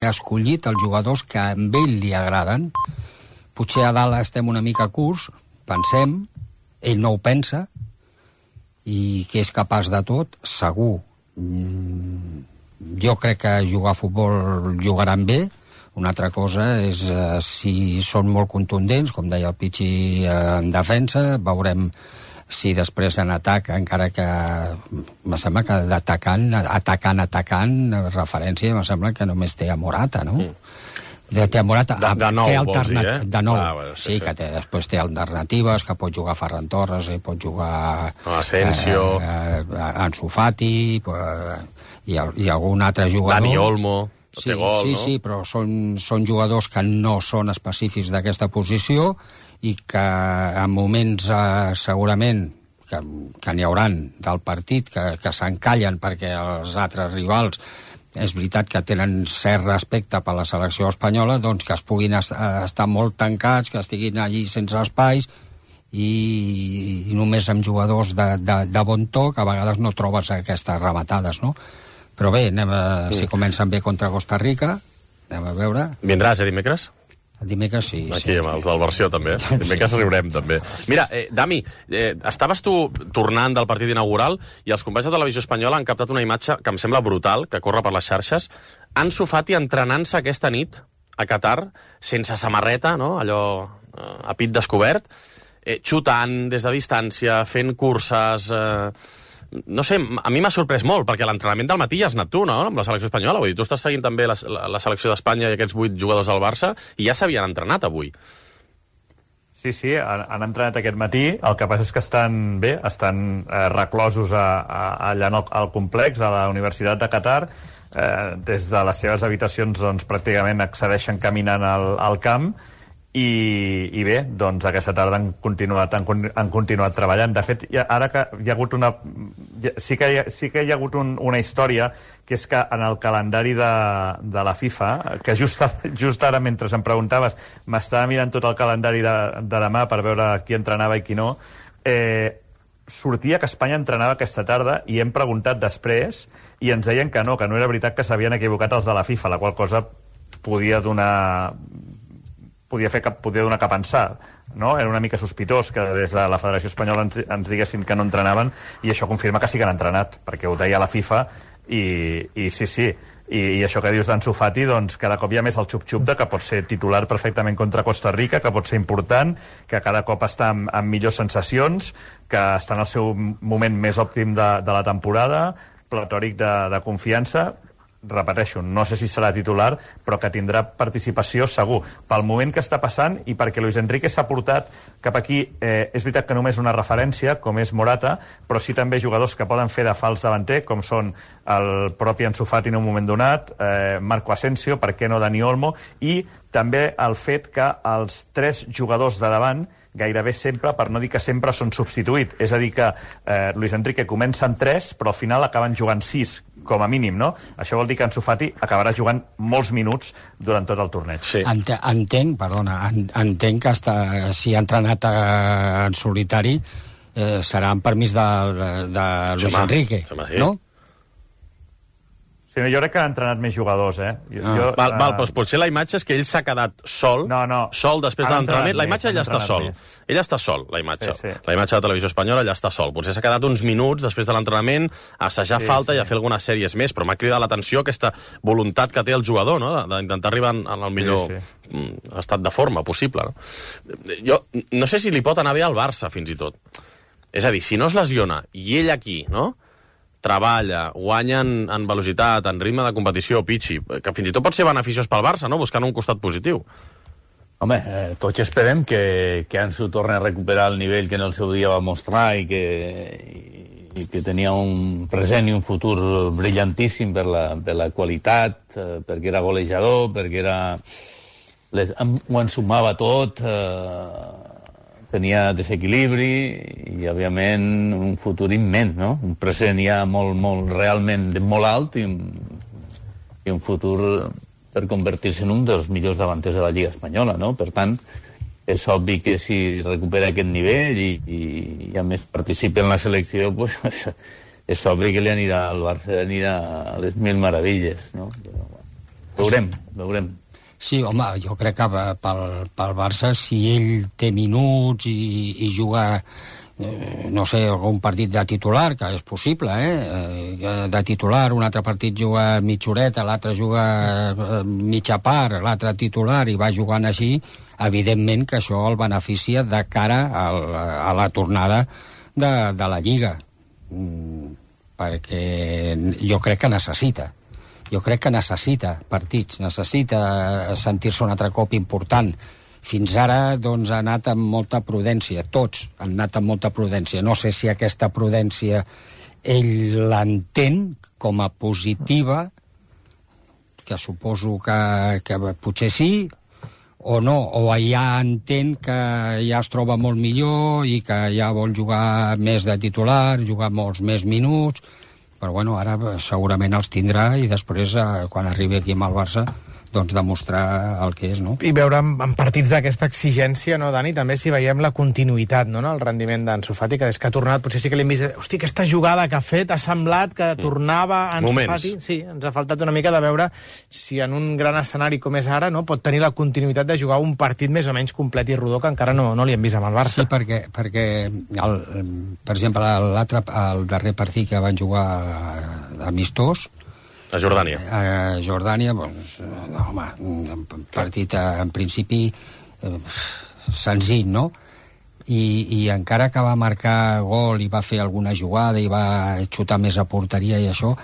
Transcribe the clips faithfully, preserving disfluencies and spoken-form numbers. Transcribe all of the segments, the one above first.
ha escollit els jugadors que a ell li agraden. Potser a dalt estem una mica curts, pensem, ell no ho pensa, i que és capaç de tot, segur. Jo crec que jugar a futbol jugaran bé. Una altra cosa és eh, si són molt contundents, com deia el Pichi, eh, en defensa. Veurem si després en atac, encara que me sembla que d'atacant, atacant, atacant, referència, me sembla que només té a Morata, no? Mm. De, té a Morata, de, de nou, té vols dir, eh? De nou, ah, bueno, sí, sí, sí, que té, després té alternatives, que pot jugar Ferran Torres, i pot jugar Asensio, eh, eh, Ansu Fati, eh, i, i algun altre jugador. Dani Olmo, sí, té gol, sí, no? Sí, però són, són jugadors que no són específics d'aquesta posició i que en moments eh, segurament que, que n'hi hauran del partit, que, que s'encallen perquè els altres rivals és veritat que tenen cert respecte per la selecció espanyola, doncs que es puguin est estar molt tancats, que estiguin allí sense espais i, i només amb jugadors de, de, de bon to, que a vegades no trobes aquestes rematades, no? Però bé, anem a, mm. si comencen bé contra Costa Rica, anem a veure. Vindràs, eh, dimecres? El dimecres sí. Aquí, sí. amb els del versió, també. Dimecres sí. Riurem, també. Mira, eh, Dami, eh, estaves tu tornant del partit inaugural i els companys de Televisió Espanyola han captat una imatge que em sembla brutal, que corre per les xarxes. Ansu Fati entrenant-se aquesta nit a Qatar, sense samarreta, no? Allò eh, a pit descobert, eh, xutant des de distància, fent curses... Eh, no sé, a mi m'ha sorprès molt, perquè l'entrenament del matí ja has anat tu, no?, amb la selecció espanyola. Vull dir, tu estàs seguint també la, la, la selecció d'Espanya i aquests vuit jugadors del Barça, i ja s'havien entrenat avui. Sí, sí, han, han entrenat aquest matí. El que passa és que estan bé, estan eh, reclosos a, a, allà al complex, a la Universitat de Qatar. Eh, des de les seves habitacions, doncs, pràcticament accedeixen caminant al, al camp. I, i bé, doncs aquesta tarda han continuat, han, han continuat treballant. De fet, ja, ara que hi ha hagut una... Sí que hi ha, sí que hi ha hagut un, una història, que és que en el calendari de, de la FIFA, que just, just ara, mentre em preguntaves, m'estava mirant tot el calendari de, de demà per veure qui entrenava i qui no, eh, sortia que Espanya entrenava aquesta tarda i hem preguntat després i ens deien que no, que no era veritat, que s'havien equivocat els de la FIFA, la qual cosa podia donar... podia fer cap, podia donar cap a pensar, no? Era una mica sospitós que des de la Federació Espanyola ens, ens diguessin que no entrenaven, i això confirma que sí que han entrenat, perquè ho deia la FIFA, i, i sí, sí, i, i això que dius d'Ansu Fati, doncs cada cop hi ha més el xup-xup de que pot ser titular perfectament contra Costa Rica, que pot ser important, que cada cop està amb, amb millors sensacions, que està en el seu moment més òptim de, de la temporada, platòric de, de confiança. Repeteixo, no sé si serà titular, però que tindrà participació segur. Pel moment que està passant i perquè Luis Enrique s'ha portat cap aquí, eh, és veritat que només una referència, com és Morata, però sí també jugadors que poden fer de fals davanter, com són el propi Ansu Fati en un moment donat, eh, Marco Asensio, per què no Dani Olmo, i també el fet que els tres jugadors de davant gairebé sempre, per no dir que sempre, són substituïts. És a dir que eh, Luis Enrique comença amb tres, però al final acaben jugant sis, com a mínim, no? Això vol dir que Ansu Fati acabarà jugant molts minuts durant tot el torneig. Sí. Ent entenc, perdona, entenc que està, si ha entrenat eh, en solitari eh, serà en permís de, de, de Luis Xema, Enrique, Xema, sí. no? Sí, jo crec que han entrenat més jugadors, eh? Jo, ah. jo, val, val, uh... però potser la imatge és que ell s'ha quedat sol, no, no. sol després de l'entrenament. La imatge ella està sol. Més. Ella està sol, la imatge. Sí, sí. La imatge de Televisió Espanyola ella està sol. Potser s'ha quedat uns minuts després de l'entrenament a assajar sí, falta sí. i a fer algunes sèries més, però m'ha cridat l'atenció aquesta voluntat que té el jugador, no?, d'intentar arribar en el millor sí, sí. estat de forma possible. No? Jo no sé si li pot anar bé al Barça, fins i tot. És a dir, si no es lesiona i ell aquí, no?, treballa, guanya en, en velocitat, en ritme de competició, Pichi, que fins i tot pot ser beneficiós pel Barça, no?, buscant un costat positiu. Home, eh, tots esperem que, que Ansu torni a recuperar el nivell que en el seu dia va mostrar i que, i, i que tenia un present i un futur brillantíssim per la, per la qualitat, eh, perquè era golejador, perquè era... Les, ho ensumava tot... Eh, tenia desequilibri i, òbviament, un futur immens, no? Un present ja molt, molt, realment molt alt i un, i un futur per convertir-se en un dels millors davanters de la Lliga Espanyola, no? Per tant, és obvi que si recupera aquest nivell i, i, i a més participa en la selecció, pues, és obvi que li anirà al Barça anirà a les mil meravelles, no? Però, bueno. Veurem, veurem. Sí, home, jo crec que pel, pel Barça, si ell té minuts i, i juga, eh, no sé, algun partit de titular, que és possible, eh? De titular, un altre partit juga mitja horeta, l'altre juga mitja part, l'altre titular, i va jugant així, evidentment que això el beneficia de cara al, a la tornada de, de la Lliga. Mm, perquè jo crec que necessita. Jo crec que necessita partits, necessita sentir-se un altre cop important. Fins ara, doncs, ha anat amb molta prudència. Tots han anat amb molta prudència. No sé si aquesta prudència ell l'entén com a positiva, que suposo que, que potser sí, o no, o ja entén que ja es troba molt millor i que ja vol jugar més de titular, jugar molts més minuts, però bueno, ara segurament els tindrà i després, quan arribi aquí amb el Barça, doncs demostrar el que és, no? I veure en, en partits d'aquesta exigència, no, Dani, també si veiem la continuïtat, no, en el rendiment d'Ansu Fati, que des que ha tornat, potser sí que l'hem vist, hosti, aquesta jugada que ha fet ha semblat que tornava Ansu Moments. Fati. Sí, ens ha faltat una mica de veure si en un gran escenari com és ara, no, pot tenir la continuïtat de jugar un partit més o menys complet i rodó, que encara no, no li hem vist amb el Barça. Sí, perquè, perquè el, per exemple, l'altre, el darrer partit que van jugar amistós, a Jordània. A Jordània, doncs, home, un partit en principi eh, senzill, no? I, I encara que va marcar gol i va fer alguna jugada i va xutar més a porteria i això,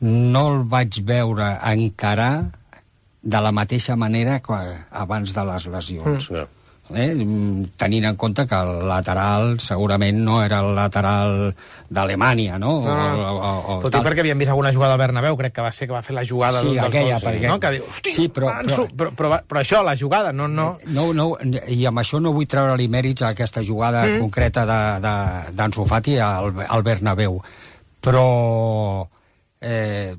no el vaig veure encarar de la mateixa manera que abans de les lesions. Mm. Eh? Tenint en compte que el lateral segurament no era el lateral d'Alemanya, no? No, no. O, o, o, Tot i perquè havíem vist alguna jugada al Bernabéu, crec que va ser que va fer la jugada sí, d'un dels aquella, gols, perquè... no? Que diu, hosti, sí, però, Ansu, però, però, però, però això, la jugada, no... no... no, no I amb això no vull treure-li mèrits a aquesta jugada mm. concreta d'Ansu Fati al, al Bernabéu, però... Eh,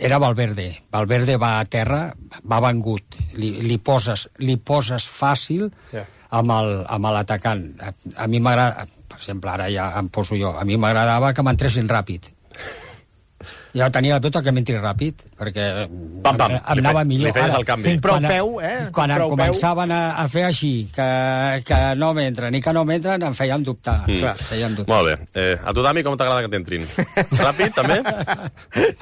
era Valverde. Valverde va a terra, va vengut. Li, li, poses, li poses fàcil yeah. amb l'atacant. A, a mi m'agrada, per exemple, ara ja em poso jo, a mi m'agradava que m'entressin ràpid. Ja tenia la pelota que m'entri ràpid, perquè pam, pam. em anava li millor. Li feies el canvi. Prou quan, peu, eh? Quan prou començaven a, a fer així, que, que no m'entren i que no m'entren, em feien dubtar. Mm. Clar, feien dubtar. Molt bé. Eh, a tu, Dami, com t'agrada que t'entrin? Ràpid, també?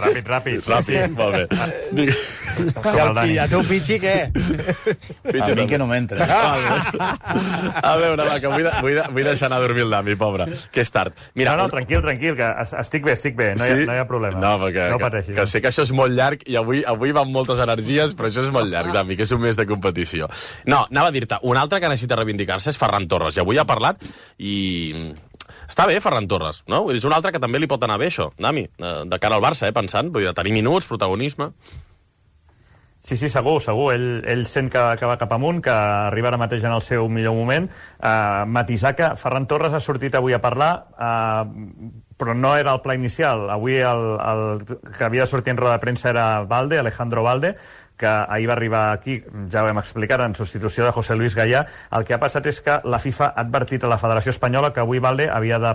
Ràpid, ràpid. Ràpid, sí. Molt bé. Digue... I, el, I a tu, Pichi, què? Pichi, a mi que no m'entra. A veure, va, que vull, de, vull, de, vull deixar anar a dormir el Dami, pobre, que és tard. Mira, no, no, tranquil, tranquil, que estic bé, estic bé, no, sí? hi, ha, no hi ha problema. No, perquè, no que, pateixis. que sé que això és molt llarg i avui, avui van moltes energies, però això és molt llarg, Dami, que és un mes de competició. No, anava a dir-te, un altre que necessita reivindicar-se és Ferran Torres, i avui ha parlat i... Està bé, Ferran Torres, no? És un altre que també li pot anar bé, això, Dami, de cara al Barça, eh, pensant, vull dir, tenir minuts, protagonisme... Sí, sí, segur, segur. Ell, ell sent que, que va cap amunt, que arriba ara mateix en el seu millor moment. Uh, matisar que Ferran Torres ha sortit avui a parlar, uh, però no era el pla inicial. Avui el, el que havia de sortir en roda de premsa era Valde, Alejandro Valde, que ahir va arribar aquí, ja ho hem explicat, en substitució de José Luis Gallà. El que ha passat és que la FIFA ha advertit a la Federació Espanyola que avui Valde havia de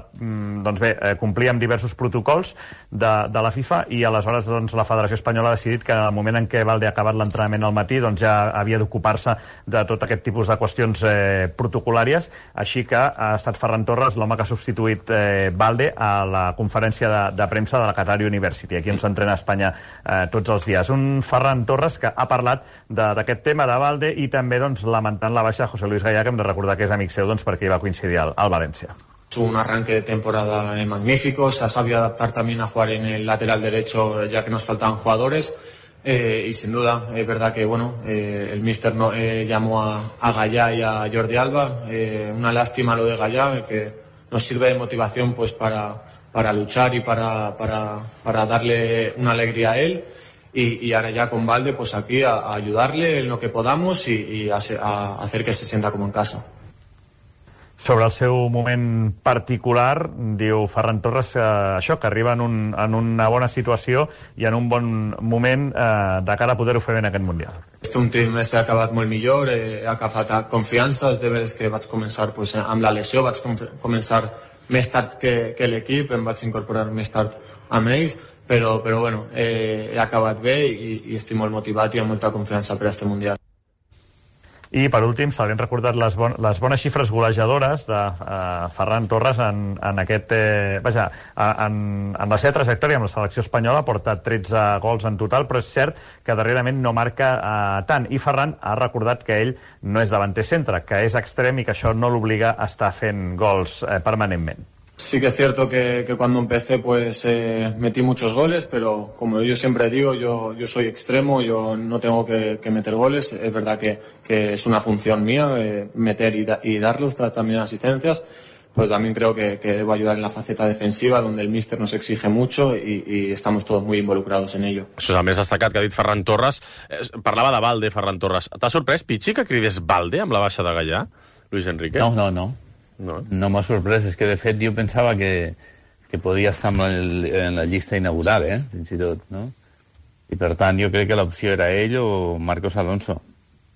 doncs bé, complir amb diversos protocols de, de la FIFA i aleshores doncs, la Federació Espanyola ha decidit que al moment en què Valde ha acabat l'entrenament al matí doncs, ja havia d'ocupar-se de tot aquest tipus de qüestions eh, protocolàries, així que ha estat Ferran Torres l'home que ha substituït eh, Valde a la conferència de, de premsa de la Qatar University, aquí on s'entrena a Espanya eh, tots els dies. Un Ferran Torres que ha parlat d'aquest tema de Valde i també doncs, lamentant la baixa de José Luis Gallà, que hem de recordar que és amic seu doncs, perquè hi va coincidir al, al València. Un arranque de temporada magnífico, se ha sabido adaptar también a jugar en el lateral derecho ya que nos faltaban jugadores eh, y sin duda es verdad que bueno eh, el míster no, eh, llamó a, a Gallà y a Jordi Alba, eh, una lástima lo de Gallà, que nos sirve de motivación pues para, para luchar y para, para, para darle una alegría a él. Y, y ahora ya con Valde pues aquí a, a ayudarle en lo que podamos y, y a, a hacer que se sienta como en casa. Sobre el seu moment particular, diu Ferran Torres que això, que arriba en, un, en una bona situació i en un bon moment eh, de cara a poder-ho fer bé en aquest Mundial. Este últim mes ha acabat molt millor, eh, ha agafat confiança, és de veres que vaig començar pues, amb la lesió, vaig com començar més tard que, que l'equip, em vaig incorporar més tard amb ells però, però bueno, eh, he acabat bé i, i estic molt motivat i amb molta confiança per a este Mundial. I, per últim, s'havien recordat les, bon, les bones xifres golejadores de uh, Ferran Torres en, en aquest... Eh, vaja, en, en la seva trajectòria amb la selecció espanyola ha portat tretze gols en total, però és cert que darrerament no marca uh, tant. I Ferran ha recordat que ell no és davanter centre, que és extrem i que això no l'obliga a estar fent gols eh, permanentment. Sí que es cierto que, que cuando empecé pues eh, metí muchos goles, pero como yo siempre digo, yo, yo soy extremo, yo no tengo que, que meter goles. Es verdad que, que es una función mía eh, meter y, da, y darlos, también asistencias, pero también creo que, que debo ayudar en la faceta defensiva, donde el míster nos exige mucho y, y estamos todos muy involucrados en ello. Això és el més destacat que ha dit Ferran Torres. Eh, parlava de Valde, Ferran Torres. T'ha sorprès, Pichi, que cridés Valde amb la baixa de Gallà, Luis Enrique? No, no, no. No, no m'ha sorprès, és que de fet jo pensava que, que podia estar en, el, en la llista inaugural, eh? Fins i tot, no? I per tant jo crec que l'opció era ell o Marcos Alonso.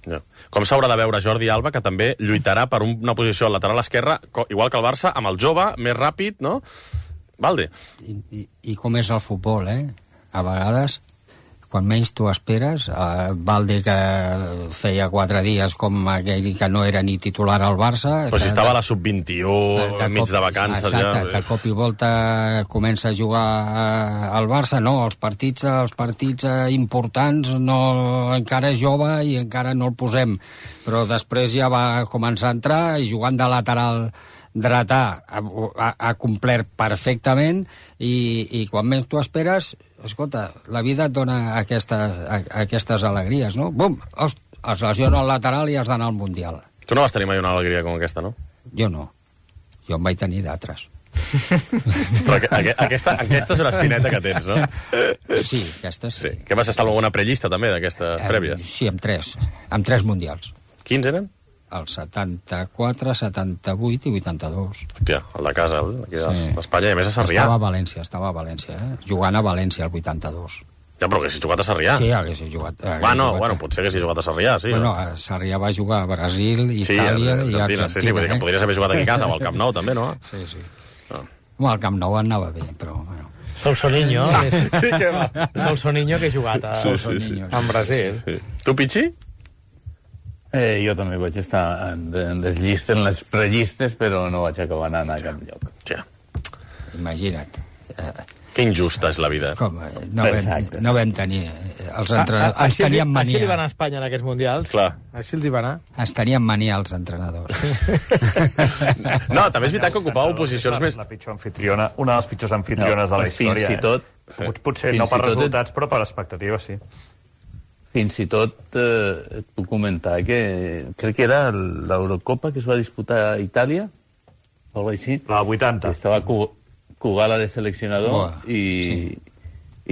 No. Com s'haurà de veure Jordi Alba, que també lluitarà per una posició al lateral esquerra, igual que el Barça, amb el jove, més ràpid, no? Valde. I, i, i com és el futbol, eh? A vegades, quan menys t'ho esperes, eh, Valde, que feia quatre dies com aquell que no era ni titular al Barça... Però si que, estava a la sub vint-i-u, enmig de vacances... Exacte, ja... de cop i volta comença a jugar al Barça, no, els partits, els partits importants no, encara és jove i encara no el posem, però després ja va començar a entrar i jugant de lateral dretà ha, ha, ha complert perfectament i, i quan menys t'ho esperes, escolta, la vida et dona aquesta, a, aquestes alegries, no? Bum! Host, es lesiona el lateral i has d'anar al Mundial. Tu no vas tenir mai una alegria com aquesta, no? Jo no. Jo en vaig tenir d'altres. Però que, aquesta, aquesta és una espineta que tens, no? Sí, aquesta sí. sí. Que vas estar en alguna prellista, també, d'aquesta eh, prèvia? Sí, amb tres. Amb tres Mundials. Quins eren? El setanta-quatre, setanta-vuit i vuitanta-dos. Hòstia, el de casa, aquí sí. d'Espanya, i a més a Sarrià. Estava a València, estava a València, eh? Jugant a València, el vuitanta-dos. Ja, però que si jugat a Sarrià. Sí, hagués jugat. Hagués bueno, jugat bueno, potser que si jugat a Sarrià, sí. Bueno, a Sarrià va jugar a Brasil, Itàlia sí, i Argentina. Sí, sí, vull dir que podries haver jugat aquí a casa, o al Camp Nou, també, no? Sí, sí. No. Bueno, al Camp Nou anava bé, però... Bueno. Solsoniño. Sí, que va. Solsoniño que ha jugat a... Sí, sí, sí. en Brasil. Sí, sí. Tu, Pichi? Eh, jo també vaig estar en, en les llistes, en les prellistes, però no vaig acabar anant a cap lloc. Ja. Imagina't. Eh, que injusta és la vida. Com, no, vam, no vam tenir... Els entrenadors... Ah, així, tenien mania. Així li va anar a Espanya en aquests mundials. Clar. Així els hi va anar. Es tenien mania els entrenadors. No, també és veritat que ocupàveu posicions més... La pitjor anfitriona, una de les pitjors anfitriones no, de la història. Fins i tot... Eh? Potser no per resultats, però per expectatives, sí. Fins i tot eh, et puc comentar que crec que era l'Eurocopa que es va disputar a Itàlia, o alguna així. La vuitanta. Estava Kugala de seleccionador oh, i, sí.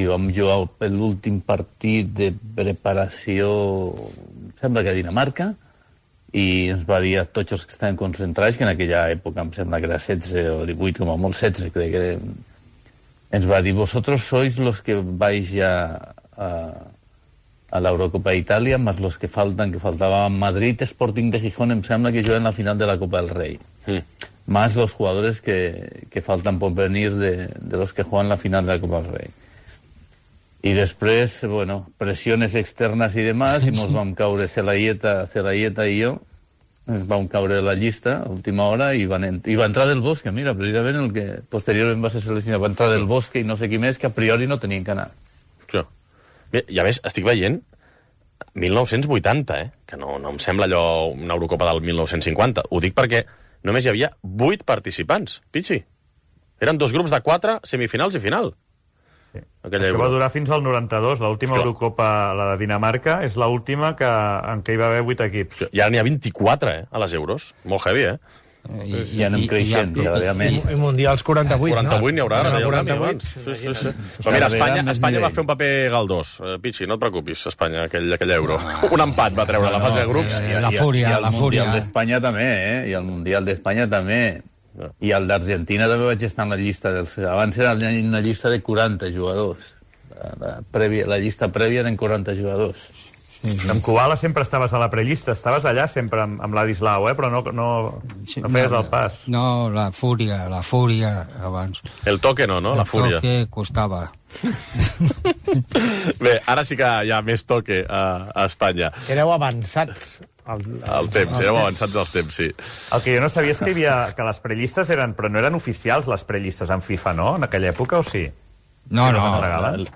i vam jugar l'últim partit de preparació, sembla que a Dinamarca, i ens va dir a tots els que estaven concentrats, que en aquella època em sembla que era setze o divuit, com a molt setze, crec que era, ens va dir, vosotros sois los que vais a... a a la Eurocopa d'Itàlia, más los que faltan, que faltaba Madrid, Sporting de Gijón, em sembla que juegan la final de la Copa del Rey. Mm. Más los jugadores que, que faltan por venir de, de los que juegan la final de la Copa del Rey. Y después, bueno, presiones externas y demás, y nos vam caure Celayeta, Celayeta i jo, ens vam caure de la llista a última hora i, van i va entrar del Bosque, mira, precisament el que posteriorment va ser seleccionat, va entrar del Bosque i no sé qui més, que a priori no tenien que anar. Clar. Bé, ja ves, estic veient mil nou-cents vuitanta, eh? Que no, no em sembla allò una Eurocopa del mil nou-cents cinquanta. Ho dic perquè només hi havia vuit participants, Pichi. Eren dos grups de quatre, semifinals i final. Sí. Això Euro. Va durar fins al noranta-dos. L'última Eurocopa, la de Dinamarca, és l'última que, en què hi va haver vuit equips. I ara n'hi ha vint-i-quatre, eh? A les Euros. Molt heavy, eh? I, i anem creixent, ja, I, i Mundials quaranta-vuit, quaranta-vuit, no? n'hi haurà, ara, quaranta-vuit. Sí, sí, sí. Però mira, Espanya, Espanya va fer un paper galdós. Uh, Pichi, no et preocupis, Espanya, aquell, aquell euro. Un empat va treure no, la fase de grups. I, la fúria, i el la fúria. Mundial d'Espanya també, eh? I el Mundial d'Espanya també. I el d'Argentina també vaig estar en la llista dels... Abans era una llista de quaranta jugadors. La, la, prèvia, la llista prèvia eren quaranta jugadors. Sí, sí. Amb Kubala sempre estaves a la prellista, estaves allà sempre amb, amb Ladislau, eh? Però no, no, Sí, no feies no, el pas. No, la fúria, la fúria, abans. El toque no, no? La fúria. El toque costava. Bé, ara sí que hi ha més toque a, a Espanya. Éreu avançats. El, El temps, érem avançats dels temps, sí. El que jo no sabia és que hi havia... que les prellistes eren... Però no eren oficials, les prellistes en FIFA, no? En aquella època, o sí? No, Que no. les regalen?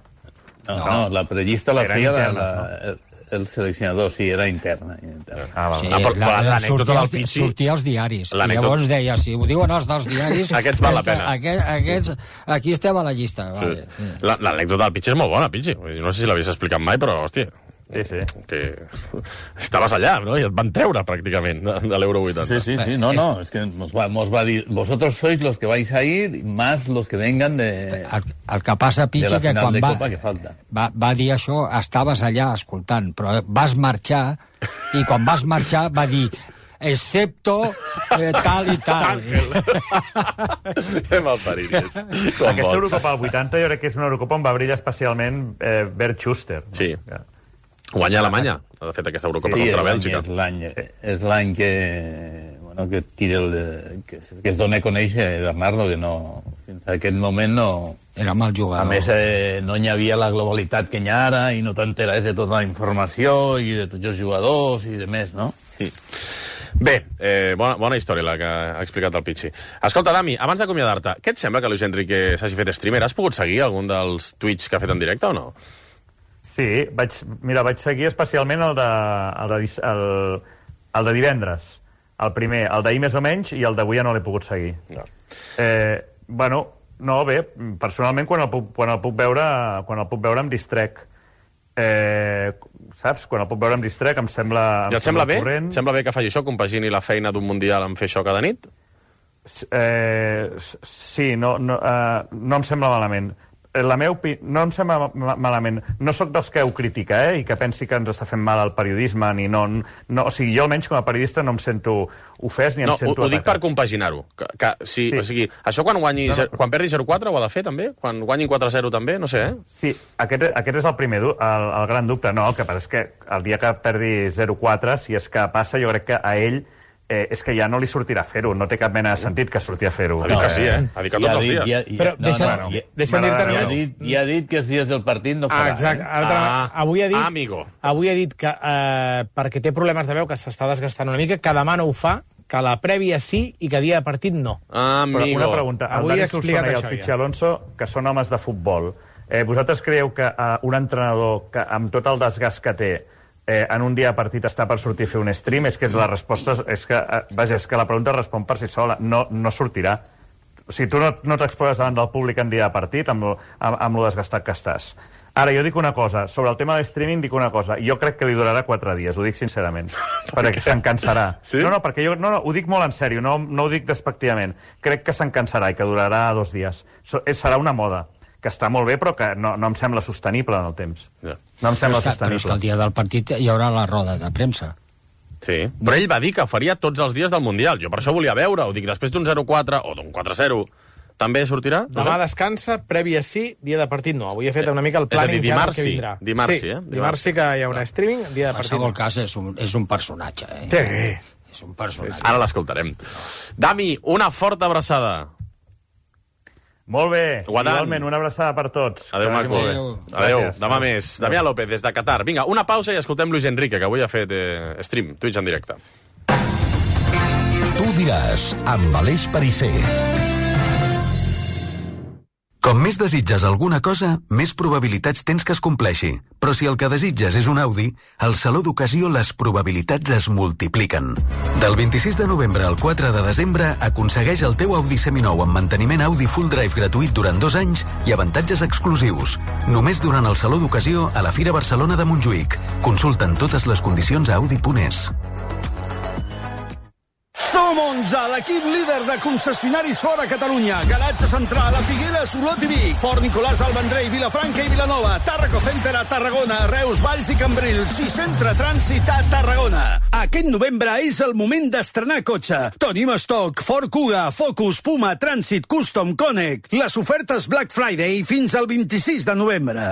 No, no, la prellista la Era feia la, interna, la, el, el seleccionador, sí, era interna. interna. Ah, val. Sí, Ah, però- però la, la, l'anècdota sortia, del als, Pichi- sortia als diaris. I L'anècdota- llavors deia, si ho diuen els dels diaris... Aquests val la és que pena. Aquest, aquests, aquí estem a la llista. Vale, sí. La- L'anècdota del Pichi és molt bona, Pichi. Vull dir, no sé si l'havies explicat mai, però, hòstia, Sí, sí. que estaves allà, no? I et van treure, pràcticament, de, de l'Euro vuitanta. Sí, sí, sí, no, no, es que nos va, nos va a decir, vosotros sois los que vais a ir, más los que vengan de, El, el que passa, de Pichi, la que final quan de va, Copa que falta. va, va dir això, estaves allà escoltant, però vas marxar, i quan vas marxar va dir excepto eh, tal i tal. Que malparides. Com Aquesta vol. Eurocopa del vuitanta jo crec que és una Eurocopa on va brillar especialment eh, Bert Schuster. No? Sí. Guanya Alemanya, de fet, aquesta Eurocopa Sí, contra l'any Bèlgica. és l'any és l'any que, bueno, que tira el, que, que es dona a conèixer Bernardo, que no, fins a aquest moment no... Era mal A jugador. més, eh, no hi havia la globalitat que hi ha ara i no t'enteraves de tota la informació i de tots els jugadors i de més, no? Sí. Bé, eh, bona, bona història la que ha explicat el Pichi. Escolta, Dami, abans d'acomiadar-te, què et sembla que Luis Enrique s'hagi fet streamer? Has pogut seguir algun dels tuits que ha fet en directe o no? Sí, vaig, mira, vaig seguir especialment el de, el de, dis- el, el de divendres. El primer, el d'ahir més o menys, i el d'avui ja no l'he pogut seguir. No. Eh, bueno, no, bé, personalment quan el puc, quan el puc veure, quan el puc veure em distrec. Eh, saps? Quan el puc veure em distrec, em sembla... I em et sembla bé? corrent. Sembla bé que faci això, compagini la feina d'un mundial amb fer això cada nit? Eh, sí, no, no, eh, no em sembla malament. Eh, La meva opi... No em sembla ma malament. No sóc dels que ho critica, eh, i que pensi que ens està fent mal al periodisme, ni no, no... O sigui, jo almenys com a periodista no em sento ofès ni em No, ho, sento ho dic per atacat. compaginar-ho. Que, que, si, Sí. O sigui, això quan, guanyi, No, no. quan perdi zero quatre ho ha de fer, també? Quan guanyin quatre zero també? No sé, eh? Sí, aquest, aquest és el primer, du- el, el gran dubte. No, el que passa és que el dia que perdi zero quatre, si és que passa, jo crec que a ell eh, és que ja no li sortirà fer-ho. No té cap mena de sentit que surti a fer-ho. Ha dit que sí, eh? Ha dit que tots els dies. Ja, ja, Però no, deixa, no, no, ja, deixa'm dir-te m'agrada ja, ha només... dit, ja ha dit que els dies del partit no Ah, farà. exacte. Eh? Ara, Ah, avui ha dit, amigo. avui ha dit que eh, perquè té problemes de veu, que s'està desgastant una mica, que demà no ho fa, que la prèvia sí i que dia de partit no. Amigo. Però una pregunta. Avui el he Dani Solsona explicat i el això, Pichi ja. Alonso, que són homes de futbol, eh, vosaltres creieu que eh, un entrenador que amb tot el desgast que té eh, en un dia de partit està per sortir a fer un stream? És que la resposta és que, eh, vaja, és que la pregunta respon per si sola. No, no sortirà. O sigui, tu no, no t'exposes davant del públic en dia de partit amb, lo- amb, amb lo desgastat que estàs. Ara, jo dic una cosa. Sobre el tema de streaming dic una cosa. Jo crec que li durarà quatre dies, ho dic sincerament. perquè se'n cansarà. Sí? No, no, perquè jo no, no, ho dic molt en sèrio, no, no ho dic despectivament. Crec que se'n cansarà i que durarà dos dies. So, és, serà una moda, que està molt bé, però que no, no em sembla sostenible en el temps. Ja. No em sembla Però és, que, però és que el sostenible. dia del partit hi haurà la roda de premsa. Sí, però ell va dir que faria tots els dies del Mundial. Jo per això volia veure, ho dic, després d'un zero quatre o d'un quatre zero, també sortirà? No Demà sé. descansa, prèvia sí, dia de partit no. Avui he fet una mica el És a dir, planning ja del dimarts que sí. vindrà. Dimarts sí, sí, eh? Dimarts, Dimarts sí que hi haurà streaming, dia de En partit qualsevol no. cas, és un, és un personatge, eh? Sí. És un personatge. Ara l'escoltarem. Dami, una forta abraçada. Molt bé. Guadant. Igualment, una abraçada per tots. Adéu, Que vagi maco. molt bé. Adéu. Adéu. Gràcies. Demà més. Damià López, des de Qatar. Vinga, una pausa i escoltem Luis Enrique, que avui ha fet eh, stream, Twitch en directe. Tu diràs, amb Aleix Perisser. Com més desitges alguna cosa, més probabilitats tens que es compleixi. Però si el que desitges és un Audi, al Saló d'Ocasió les probabilitats es multipliquen. Del vint-i-sis de novembre al quatre de desembre, aconsegueix el teu Audi seminou amb manteniment Audi Full Drive gratuït durant dos anys i avantatges exclusius. Només durant el Saló d'Ocasió a la Fira Barcelona de Montjuïc. Consulta'n totes les condicions a audi punt es. Som onze, l'equip líder de concessionaris fora Catalunya. Garatge Central, a Figueres, Olot i Vic. Fort Nicolàs al Vendrell, Vilafranca i Vilanova. Tàrraco Center a Tarragona, Reus, Valls i Cambrils. I Centre Trànsit a Tarragona. Aquest novembre és el moment d'estrenar cotxe. Tenim estoc, Ford Kuga, Focus, Puma, Trànsit, Custom, Connect. Les ofertes Black Friday fins al vint-i-sis de novembre.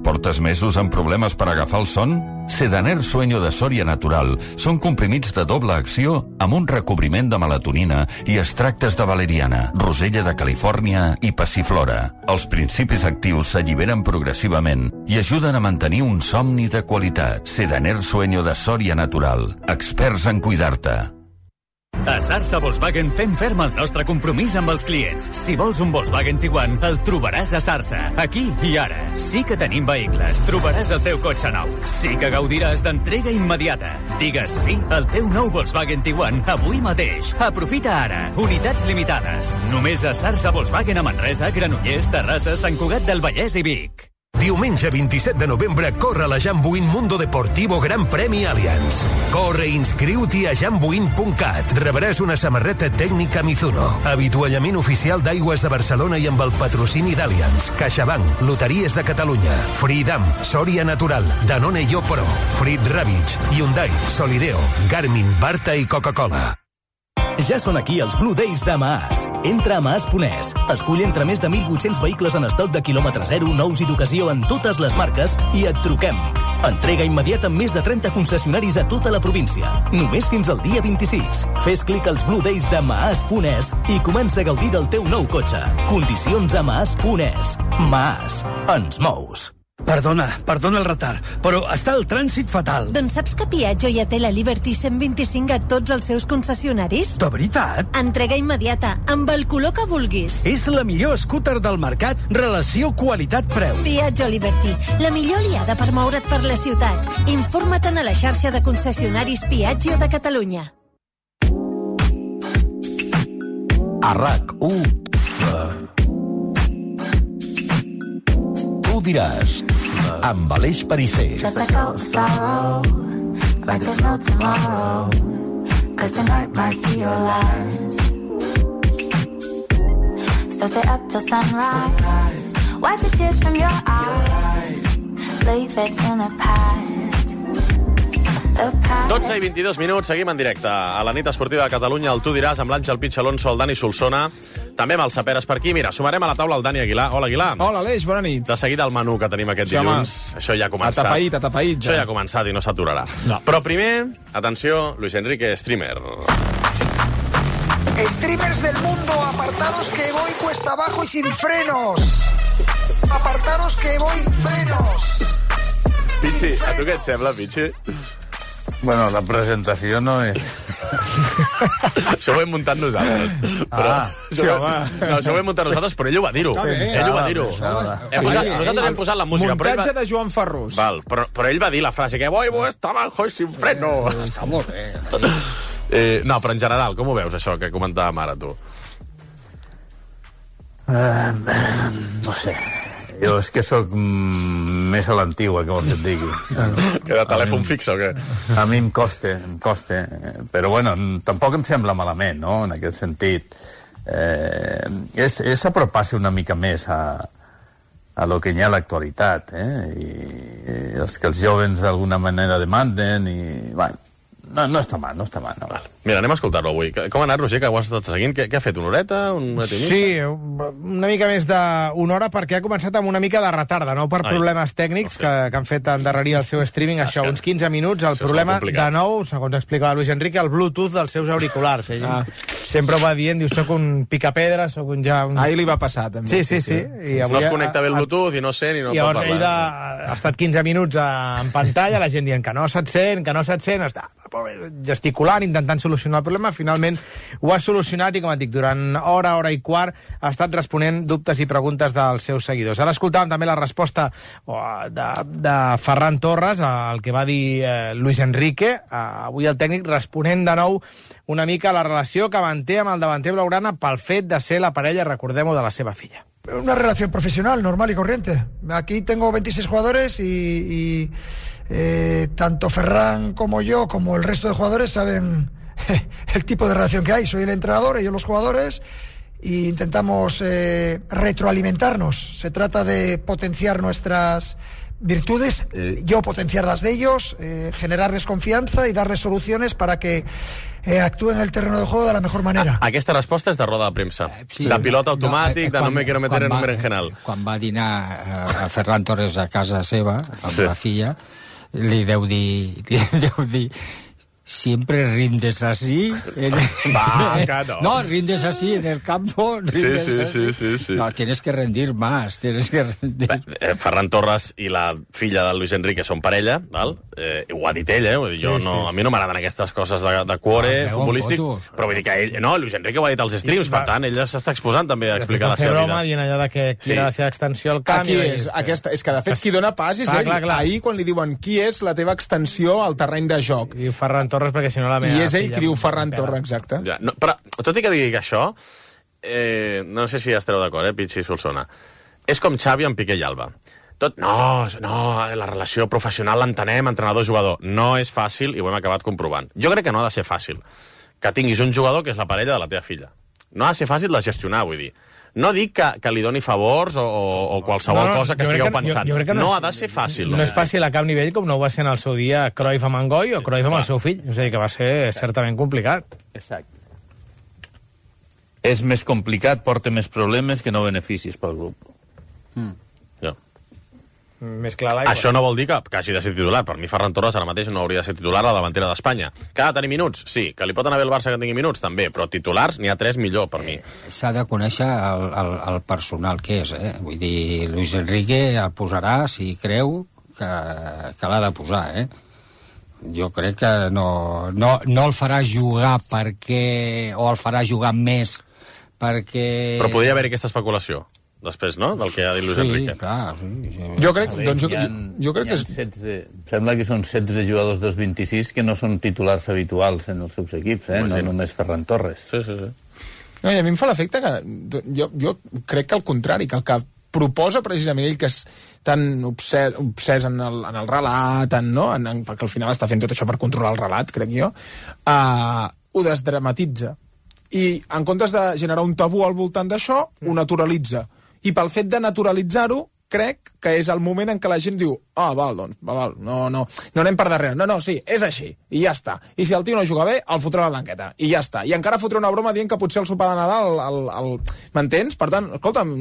Portes mesos amb problemes per agafar el son? Sedaner Sueño de Soria Natural són comprimits de doble acció amb un recobriment de melatonina i extractes de valeriana, rosella de Califòrnia i passiflora. Els principis actius s'alliberen progressivament i ajuden a mantenir un somni de qualitat. Sedaner Sueño de Soria Natural. Experts en cuidar-te. A Sarsa Volkswagen fem ferm el nostre compromís amb els clients. Si vols un Volkswagen Tiguan, el trobaràs a Sarsa. Aquí i ara. Sí que tenim vehicles. Trobaràs el teu cotxe nou. Sí que gaudiràs d'entrega immediata. Digues sí al teu nou Volkswagen Tiguan avui mateix. Aprofita ara. Unitats limitades. Només a Sarsa Volkswagen a Manresa, Granollers, Terrassa, Sant Cugat del Vallès i Vic. Diumenge vint-i-set de novembre corre la Jambuin Mundo Deportivo Gran Premi Allianz. Corre i inscriu-t'hi a jambuin punt cat. Rebràs una samarreta tècnica Mizuno, avituallament oficial d'Aigües de Barcelona i amb el patrocini d'Allianz, CaixaBank, Loteries de Catalunya, Freedom, Soria Natural, Danone i Opro, Frit Ravage, Hyundai, Solideo, Garmin, Barta i Coca-Cola. Ja són aquí els Blue Days de Maas. Entra a maas punt es. Escull entre més de mil vuit-cents vehicles en estoc de quilòmetre zero, nous i d'ocasió en totes les marques i et truquem. Entrega immediata amb més de trenta concessionaris a tota la província. Només fins al dia vint-i-sis. Fes clic als Blue Days de maas punt es i comença a gaudir del teu nou cotxe. Condicions a maas punt es. Maas. Ens mous. Perdona, perdona el retard, però està el trànsit fatal. Doncs saps que Piaggio ja té la Liberty cent vint-i-cinc a tots els seus concessionaris? De veritat? Entrega immediata, amb el color que vulguis. És la millor scooter del mercat, relació qualitat-preu. Piaggio Liberty, la millor aliada per moure't per la ciutat. Informa-te'n a la xarxa de concessionaris Piaggio de Catalunya. A RAC u Tu diràs, amb Aleix Perisser. Just like out of sorrow, like there's no tomorrow, cause tonight might be your last. So stay up till sunrise, wipe the tears from your eyes, leave it in the past. dotze i vint-i-dos minuts, seguim en directe a la nit esportiva de Catalunya, el Tu diràs, amb l'Àngel Pitx Alonso, el Dani Solsona, també amb els Saperes per aquí. Mira, sumarem a la taula el Dani Aguilar. Hola, Aguilar. Hola, Aleix, bona nit. De seguida el menú que tenim aquest sí, dilluns. Home. Això ja ha començat. Atapeït, atapeït. Ja. Això ja ha començat i no s'aturarà. No. Però primer, atenció, Luis Enrique, streamer. Streamers del mundo, apartados que voy cuesta abajo y sin frenos. Apartados que voy frenos. Pichi, a tu què et sembla, Pichi? Bueno, la presentació no és... Això ho hem muntat nosaltres. Però... Ah, sí, home. No, això ho hem muntat nosaltres, però ell ho va dir-ho. Ell ho va dir-ho. Hem posat, nosaltres hem posat la música. Muntatge va... de Joan Ferrús. Val, però, però ell va dir la frase que voy cuesta abajo y sin freno. Està molt bé. Eh, no, però en general, com ho veus, això que comentàvem ara, tu? Uh, no sé... Jo és que sóc mm, més a l'antigua, que vols que et digui. Que de telèfon fix o què? A mi em costa, em costa. Però bueno, tampoc em sembla malament, no?, en aquest sentit. Eh, és, és apropar-se una mica més a, a lo que hi ha a l'actualitat, eh? I, i els que els joves d'alguna manera demanden i... Bueno, no, no està mal, no està mal. No. Val. Mira, anem a escoltar-lo avui. Com ha anat, Roger, que ho has estat seguint? Què, què ha fet, una horeta? Una horeta i mitja? Sí, una mica més d'una hora, perquè ha començat amb una mica de retard, de nou per Ai, problemes tècnics no sé. que, que han fet endarrerir el seu streaming, ah, això, uns quinze minuts. El problema, de nou, segons explicava Luis Enrique, el Bluetooth dels seus auriculars. Ell ah. sempre ho va dient, diu, soc un picapedra, soc un ja... Un... Ahir li va passar, també. Sí, sí, sí. sí. sí. I avui no es connecta bé el Bluetooth i no sent i no I pot parlar. Llavors ell de... ha estat quinze minuts en pantalla, la gent dient que no se't sent, que no se't sent, està gesticulant, intentant solucionar el problema. Finalment ho ha solucionat i, com et dic, durant hora, hora i quart ha estat responent dubtes i preguntes dels seus seguidors. Ara escoltàvem també la resposta de, de Ferran Torres al que va dir eh, Luis Enrique, eh, avui el tècnic, responent de nou una mica a la relació que manté amb el davanter blaugrana pel fet de ser la parella, recordem-ho, de la seva filla. Una relación profesional, normal y corriente. Aquí tengo veintiséis jugadores y... y... Eh, tanto Ferran como yo, como el resto de jugadores, saben el tipo de relación que hay. Soy el entrenador, ellos los jugadores, e intentamos eh, retroalimentarnos. Se trata de potenciar nuestras virtudes, yo potenciarlas de ellos, eh, generarles confianza y darles soluciones para que eh, actúen en el terreno de juego de la mejor manera. Ah, aquesta resposta és de roda de premsa. Sí, de pilot automàtic, no, eh, de no me quiero meter en un berenjenal. Quan va dinar a Ferran Torres a casa seva, amb sí. la filla, li deu dir... Li deu dir siempre rindes así. En... Va, que no. No, rindes así en el campo. Rindes sí, sí, así. sí, sí, sí. No, tienes que rendir más. Tienes que rendir... Eh, Ferran Torres i la filla del Luis Enrique són parella, val? Eh, ho ha dit ell, eh? Jo sí, no, sí, a mi no m'agraden aquestes coses de, de cuore futbolístic, però vull dir que ell... No, Luis Enrique ho ha dit als streams, I, per tant, ell s'està exposant també a explicar la seva vida. Broma dient allà de que sí. era la seva extensió al camp... Aquí és, que... aquesta, és que de fet qui dona pas és clar, ell. Clar, clar. Ahir quan li diuen qui és la teva extensió al terreny de joc. I Ferran Torres perquè si no la meva... I és ell qui diu Ferran Torres, exacte. Ja, no, però, tot i que digui que això, eh, no sé si estareu d'acord, eh, Pichi i Solsona, és com Xavi amb Piqué i Alba. Tot, no, no, la relació professional l'entenem, entrenador-jugador. No és fàcil i ho hem acabat comprovant. Jo crec que no ha de ser fàcil que tinguis un jugador que és la parella de la teva filla. No ha de ser fàcil de gestionar, vull dir. No dic que, que li doni favors o, o, o qualsevol no, no, cosa que estigueu que, pensant. Jo, jo que no, no és, ha de ser fàcil. No, no és fàcil a cap nivell com no ho va ser en el seu dia Cruyff amb Angoi o Cruyff amb el seu fill. És a dir, que va ser certament complicat. Exacte. És més complicat, porta més problemes que no beneficis pel grup. Mm. Ja. Més clar l'aigua. Això no vol dir que, que hagi de ser titular. Per mi Ferran Torres ara mateix no hauria de ser titular a la davantera d'Espanya. Que ha de tenir minuts? Sí. Que li pot anar bé el Barça que tingui minuts? També. Però titulars n'hi ha tres millor, per mi. S'ha de conèixer el, el, el personal que és, eh? Vull dir, Luis Enrique el posarà si creu que, que l'ha de posar, eh? Jo crec que no, no, no el farà jugar perquè... o el farà jugar més perquè... Però podria haver-hi aquesta especulació després, no?, del que ha dit Luis sí, Enrique. Clar, sí, sí. Jo crec, veure, doncs, jo, ha, jo crec que és... setze, sembla que són setze jugadors dels vint-i-sis que no són titulars habituals en els seus equips, eh? No només Ferran Torres. Sí, sí, sí. No, i a mi em fa l'efecte que... Jo, jo crec que al contrari, que el que proposa precisament ell, que és tan obsès, obsès en, el, en el relat, en, no? en, en, perquè al final està fent tot això per controlar el relat, crec jo, uh, ho desdramatitza. I en comptes de generar un tabú al voltant d'això, ho naturalitza. I pel fet de naturalitzar-ho, crec que és el moment en què la gent diu ah, val, doncs, val, no, no, no anem per darrere. No, no, sí, és així, i ja està. I si el tio no juga bé, el fotrà a la banqueta, i ja està. I encara fotrà una broma dient que potser el sopar de Nadal... El, el, el... M'entens? Per tant, escolta'm,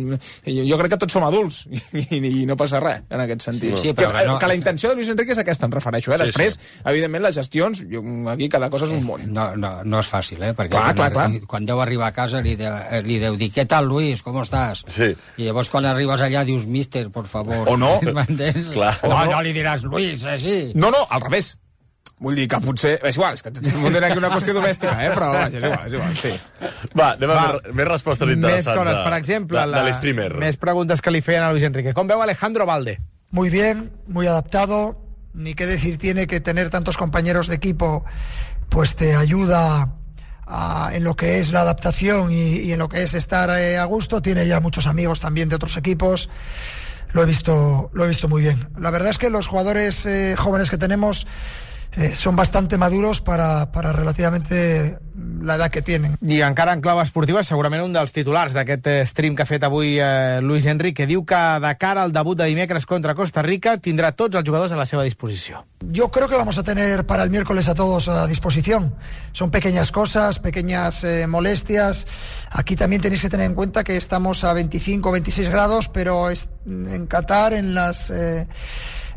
jo crec que tots som adults, i, i no passa res, en aquest sentit. Sí, sí, però que, no... que la intenció de Luis Enrique és aquesta, em refereixo. Eh? Després, sí, sí. evidentment, les gestions, jo, aquí cada cosa és un món. No, no, no és fàcil, eh? Perquè clar, clar, clar. quan deu arribar a casa li deu, li deu dir, què tal, Luis, com estàs? Sí. I llavors quan arribes allà dius, mister, por favor. O no. M'entens? Clar. O no, no li diràs, Luis, així. No, no, al revés. Vull dir que potser... És igual, és que estem muntant aquí una qüestió domèstica, eh? Però vaja, és igual, és igual, sí. Va, anem a més, més respostes interessants. Més coses, per exemple, de, de l'streamer. Més preguntes que li feien a Luis Enrique. Com veu Alejandro Valde? Muy bien, muy adaptado. Ni qué decir tiene que tener tantos compañeros de equipo, pues te ayuda a, en lo que es la adaptación y, y en lo que es estar eh, a gusto. Tiene ya muchos amigos también de otros equipos. Lo he visto, lo he visto muy bien. La verdad es que los jugadores eh, jóvenes que tenemos eh, son bastante maduros para, para relativamente la edad que tienen. I encara en clau esportiva, segurament un dels titulars d'aquest stream que ha fet avui eh, Luis Enrique. Diu que de cara al debut de dimecres contra Costa Rica tindrà tots els jugadors a la seva disposició. Yo creo que vamos a tener para el miércoles a todos a disposición. Son pequeñas cosas, pequeñas eh, molestias. Aquí también tenéis que tener en cuenta que estamos a veinticinco o veintiséis grados, pero es, en Qatar, en las eh,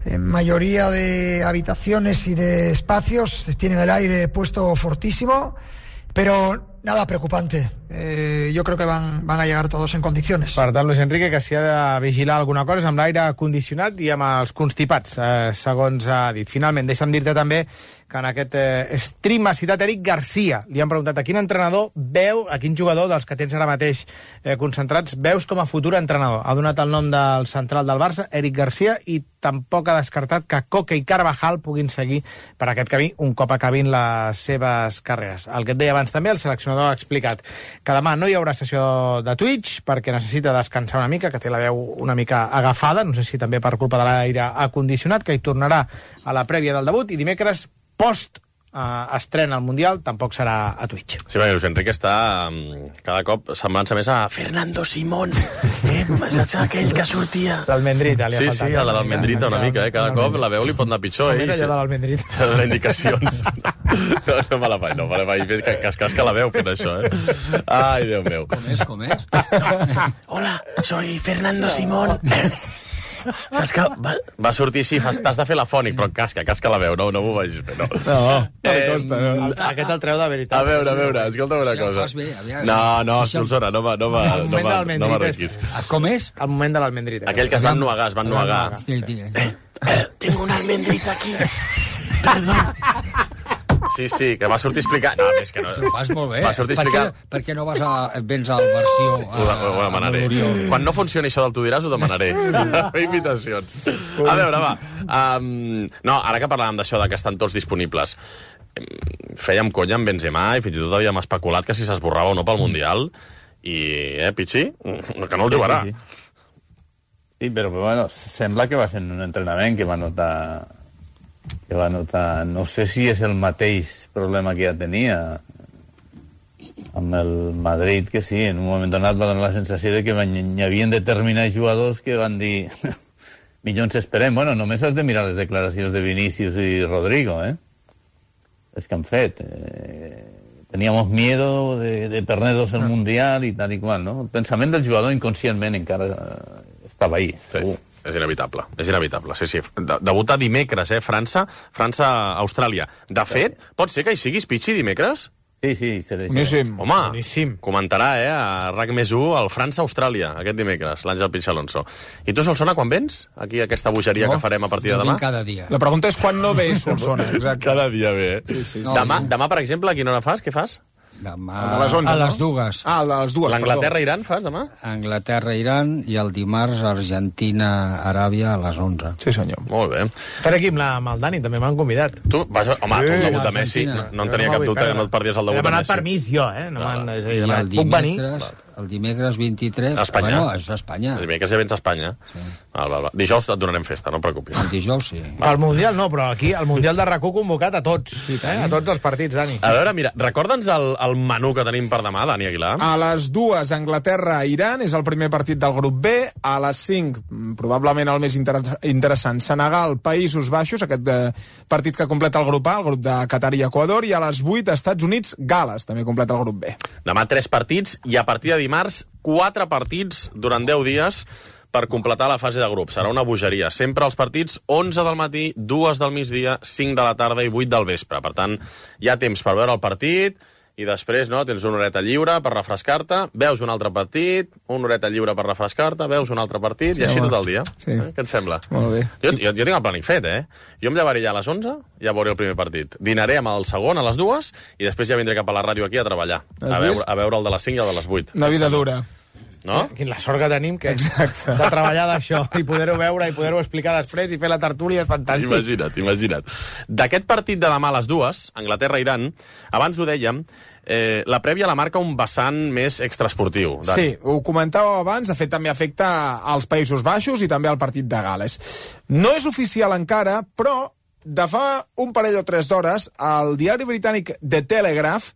en mayoría de habitaciones y de espacios, tienen el aire puesto fortísimo, pero nada preocupante. Eh, yo creo que van, van a llegar todos en condiciones. Per tant, Luis Enrique, que si ha de vigilar alguna cosa és amb l'aire condicionat i amb els constipats, eh, segons ha dit. Finalment, deixa'm dir-te també que en aquest eh, stream ha citat Eric Garcia. Li han preguntat a quin entrenador veu, a quin jugador dels que tens ara mateix eh, concentrats, veus com a futur entrenador. Ha donat el nom del central del Barça, Eric Garcia, i tampoc ha descartat que Coque i Carvajal puguin seguir per aquest camí un cop acabin les seves carreres. El que et deia abans també, el seleccionador ha explicat que demà no hi haurà sessió de Twitch perquè necessita descansar una mica, que té la veu una mica agafada, no sé si també per culpa de l'aire acondicionat, que hi tornarà a la prèvia del debut, i dimecres post eh, estrena al Mundial, tampoc serà a Twitch. Sí, perquè Luis Enrique està um, cada cop semblant-se més a Fernando Simón, eh? Saps aquell que sortia? L'Almendrita, li ha sí, faltat. Sí, sí, a la d'Almendrita una mica, eh? Cada cop la veu li pot anar pitjor, eh? Mira allò de l'Almendrita. S'ha de donar indicacions. No, no me la faig, no me la faig. Fes que, que es casca la veu fent això, eh? Ai, Déu meu. Com és, com és? Hola, soy Fernando Simón. Saps que va, va sortir així, t'has de fer la fònic, però casca, casca la veu, no, no m'ho vagis fer, no. No, no li costa, no. Aquest el treu de veritat. A veure, a veure, escolta'm una cosa. No, no, Solsona, no m'arrenquis. Com és? El moment de l'Almendrita. Aquell que es van nuagar, es van nuagar. Tengo una almendrita aquí. Perdó. Sí, sí, que va sortir a explicar... No, és que no... Ho fas molt bé. Va sortir a per, explicar... què, per què no vas a, vens a la versió... A, ho, ho, ho demanaré. Quan no funcioni això del tu diràs, ho demanaré. Invitacions. A veure, va. Um, no, ara que parlàvem d'això, que estan tots disponibles, fèiem conya amb Benzema i fins i tot havíem especulat que si s'esborrava o no pel Mundial. I, eh, Pichi? Que no el jugarà. Sí, sí, sí. Sí, però bueno, sembla que va ser un entrenament que va notar... que va notar... No sé si és el mateix problema que ja tenia amb el Madrid, que sí, en un moment donat va donar la sensació de que hi havia determinats jugadors que van dir millor ens esperem. Bueno, només has de mirar les declaracions de Vinícius i Rodrigo, eh? És que han fet. Eh, teníamos miedo de, de perdernos el Mundial i tal i qual, no? El pensament del jugador inconscientment encara estava ahí. Sí. És inevitable, és inevitable, sí, sí. De debutar dimecres, eh, França, França-Austràlia. De fet, pot ser que hi siguis, Pichi, dimecres? Sí, sí, seré. Boníssim. Home, Boníssim. Comentarà, eh, a RAC més u, el França-Austràlia, aquest dimecres, l'Àngel Pichi Alonso. I tu, Solsona, quan vens? Aquí, aquesta bogeria no, que farem a partir de no demà? cada dia. La pregunta és quan no ve Solsona, exacte. Cada dia ve, eh? Sí, sí, sí. Demà, sí. demà, per exemple, a quina hora fas? Què fas? Demà... El de les onze, a les no? dues. Ah, el de les dues, L'Anglaterra-Iran fas demà? Anglaterra-Iran i el dimarts Argentina-Aràbia a les onze. Sí, senyor. Molt bé. Estaré aquí amb, la, amb el Dani, també m'han convidat. Tu vas... Home, Sí, tu el debut de Argentina. Messi, no, no en tenia No cap m'ho vull dubte que perdre. no et perdies el He debut de demanat Messi. permís jo, eh? No Clar. m'han- és a I dir, el puc venir? dimecres, el dimecres vint-i-tres... A Espanya. Bueno, és a Espanya. El dimecres ja vens a Espanya. Sí. Val, val, val. Dijous et donarem festa, no et preocupis. El dijous, sí. El Mundial no, però aquí el Mundial de RAC u convocat a tots. Sí, eh? A tots els partits, Dani. A veure, mira, recorda'ns el, el menú que tenim per demà, Dani Aguilar. A les dues, Anglaterra-Iran, és el primer partit del grup B. A les cinc, probablement el més inter interessant, Senegal, Països Baixos, aquest de, partit que completa el grup A, el grup de Qatar i Equador, i a les vuit, Estats Units, Gal·les, també completa el grup B. Demà tres partits i a partir de dimarts quatre partits durant deu dies per completar la fase de grup. Serà una bogeria. Sempre els partits onze del matí, dues del migdia, cinc de la tarda i vuit del vespre. Per tant, hi ha temps per veure el partit i després no, tens una horeta lliure per refrescar-te, veus un altre partit, una horeta lliure per refrescar-te, veus un altre partit, sí, i així home. tot el dia. Sí. Eh? Què et sembla? Molt bé. Jo, jo, jo tinc el plànic fet, eh? Jo em llevaré ja a les onze, ja veuré el primer partit. Dinaré amb el segon a les dues i després ja vindré cap a la ràdio aquí a treballar, a veure, a veure el de les cinc i el de les vuit. Una vida dura. No? Quina la sort que tenim que Exacte. de treballar d'això i poder-ho veure i poder-ho explicar després i fer la tertúlia és fantàstic. Imagina't, imagina't. D'aquest partit de demà a les dues, Anglaterra-Iran, abans ho dèiem, eh, la prèvia la marca un vessant més extraesportiu. Dani. Sí, ho comentàveu abans, de fet també afecta als Països Baixos i també al partit de Gal·les. No és oficial encara, però de fa un parell o tres d'hores, el diari britànic The Telegraph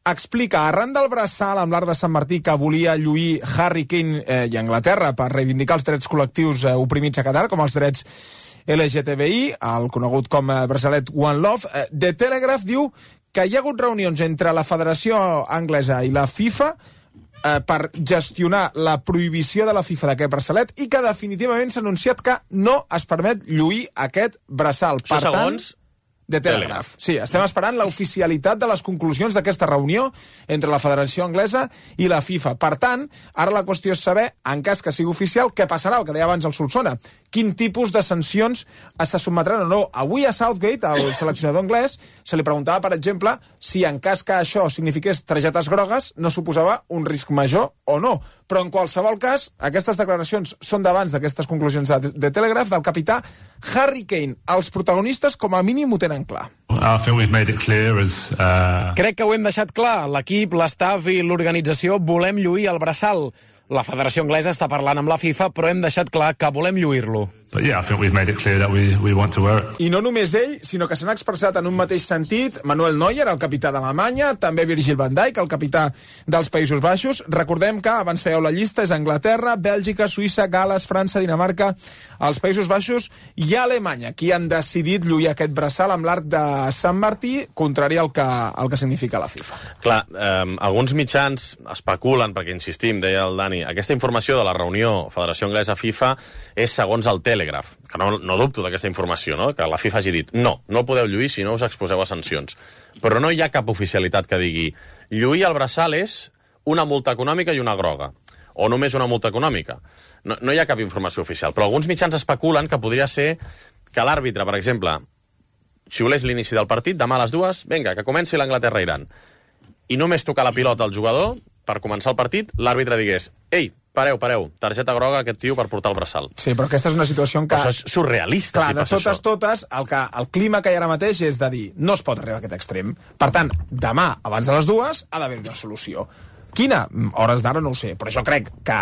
explica, arran del braçal amb l'Arc de Sant Martí que volia lluir Harry Kane eh, i Anglaterra per reivindicar els drets col·lectius eh, oprimits a Qatar, com els drets L G T B I, el conegut com eh, braçalet One Love, eh, The Telegraph diu que hi ha hagut reunions entre la Federació Anglesa i la FIFA eh, per gestionar la prohibició de la FIFA d'aquest braçalet i que definitivament s'ha anunciat que no es permet lluir aquest braçal. Això per tant, segons The Telegraph. Sí, estem esperant l'oficialitat de les conclusions d'aquesta reunió entre la Federació Anglesa i la FIFA. Per tant, ara la qüestió és saber, en cas que sigui oficial, què passarà, el que deia abans el Solsona. Quin tipus de sancions se sotmetran o no. Avui a Southgate, el seleccionador anglès, se li preguntava, per exemple, si en cas que això signifiqués targetes grogues no suposava un risc major o no. Però en qualsevol cas, aquestes declaracions són d'abans d'aquestes conclusions de, de Telegraph, del capità Harry Kane. Els protagonistes, com a mínim, ho tenen clar. Crec que ho hem deixat clar. L'equip, l'estaf i l'organització volem lluir el braçal. La Federació Anglesa està parlant amb la FIFA, però hem deixat clar que volem lluir-lo. But yeah, I think we've made it clear that we, we want to wear it. I no només ell, sinó que s'han expressat en un mateix sentit Manuel Neuer, el capità d'Alemanya, també Virgil van Dijk, el capità dels Països Baixos. Recordem que, abans fèieu la llista, és Anglaterra, Bèlgica, Suïssa, Gales, França, Dinamarca, els Països Baixos i Alemanya, qui han decidit lluir aquest braçal amb l'arc de Sant Martí, contrari al que, al que significa la FIFA. Clar, eh, alguns mitjans especulen, perquè insistim, deia el Dani, aquesta informació de la reunió Federació Anglesa-FIFA és segons el Telegraph, que no, no dubto d'aquesta informació, no? Que la FIFA hagi dit no, no podeu lluir si no us exposeu a sancions. Però no hi ha cap oficialitat que digui lluir el braçal és una multa econòmica i una groga, o només una multa econòmica. No, no hi ha cap informació oficial, però alguns mitjans especulen que podria ser que l'àrbitre, per exemple, xiulés l'inici del partit, demà a les dues, vinga, que comenci l'Anglaterra-Iran, i només tocar la pilota al jugador per començar el partit, l'àrbitre digués ei, pareu, pareu, targeta groga a aquest tio per portar el braçal. Sí, però aquesta és una situació en què... Però això és surrealista, clar, si de passa totes, això. totes, el, que, el clima que hi ha ara mateix és de dir no es pot arribar a aquest extrem. Per tant, demà, abans de les dues, ha d'haver una solució. Quina? Hores d'ara no ho sé, però jo crec que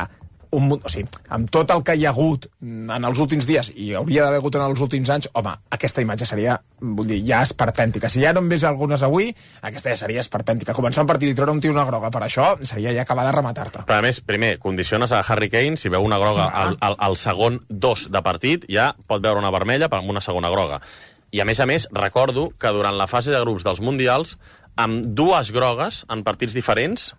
un, o sigui, amb tot el que hi ha hagut en els últims dies, i hauria d'haver hagut en els últims anys, home, aquesta imatge seria, vull dir, ja esperpèntica. Si ja no en ves algunes avui, aquesta ja seria esperpèntica. Començar un partit i treure un tio una groga per això seria ja acabar de rematar-te. Però a més, primer, condiciones a Harry Kane, si veu una groga Ah. al, al, al segon dos de partit, ja pot veure una vermella per amb una segona groga. I a més a més, recordo que durant la fase de grups dels Mundials, amb dues grogues en partits diferents,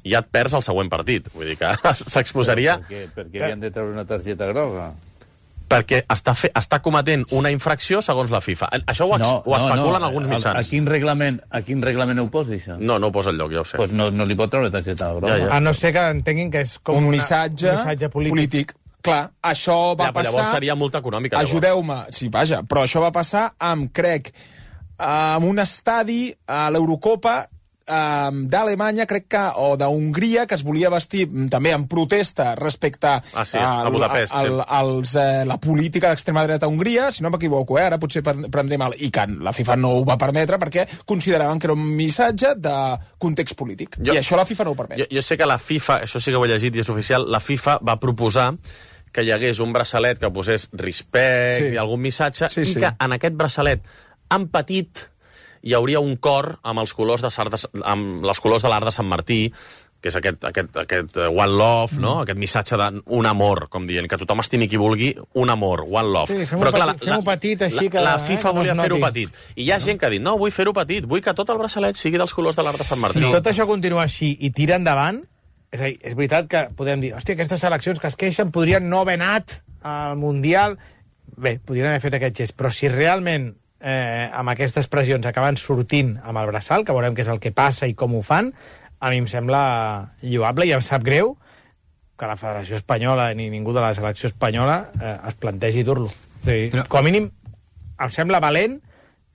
ja et perds el següent partit. Vull dir que s'exposaria... Per què, per què havien de treure una targeta groga? Perquè està, fe, està cometent una infracció segons la FIFA. Això ho, ex, No, ho especulen no, no. alguns A, mitjans. a, quin reglament, a quin reglament ho posa, això? No, no ho posa enlloc, ja ho sé. Pues no, no li pot treure targeta groga. Ja, ja. A no ser que entenguin que és com un una, missatge, un missatge polític. polític. Clar, això va Ja, però passar... llavors seria multa econòmica. llavors. Ajudeu-me, sí, vaja, però això va passar amb, crec, amb un estadi a l'Eurocopa um, d'Alemanya, crec que, o d'Hongria, que es volia vestir també en protesta respecte Ah, sí, a al- Budapest, al, sí. als, eh, la política d'extrema dreta a Hongria, si no m'equivoco, eh, ara potser pre- prendré mal, i que la FIFA no ho va permetre perquè consideraven que era un missatge de context polític. Jo- I això la FIFA no ho permet. Jo, jo sé que la FIFA, això sí que ho he llegit i és oficial, la FIFA va proposar que hi hagués un braçalet que posés respecte Sí. i algun missatge, Sí, i sí. que en aquest braçalet, en petit, hi hauria un cor amb els colors de, Sar de, amb els colors de l'art de Sant Martí, que és aquest, aquest, aquest uh, one love, mm. no? Aquest missatge d'un amor, com dient, que tothom estimi qui vulgui, un amor, one love. Sí, fem-ho Però clar, petit, fem-ho petit, així la, que, la eh, FIFA que no volia es fer-ho noti. petit. I hi ha gent que ha dit, no, vull fer-ho petit, vull que tot el braçalet sigui dels colors de l'art de Sant Martí. Si tot això continua així i tira endavant, és a dir, és veritat que podem dir, hòstia, aquestes seleccions que es queixen podrien no haver anat al Mundial. Bé, podrien haver fet aquest gest, però si realment eh, amb aquestes pressions acaben sortint amb el braçal, que veurem què és el que passa i com ho fan, a mi em sembla lloable i em sap greu que la Federació Espanyola ni ningú de la selecció espanyola eh, es plantegi dur-lo. Sí, però... Com a mínim em sembla valent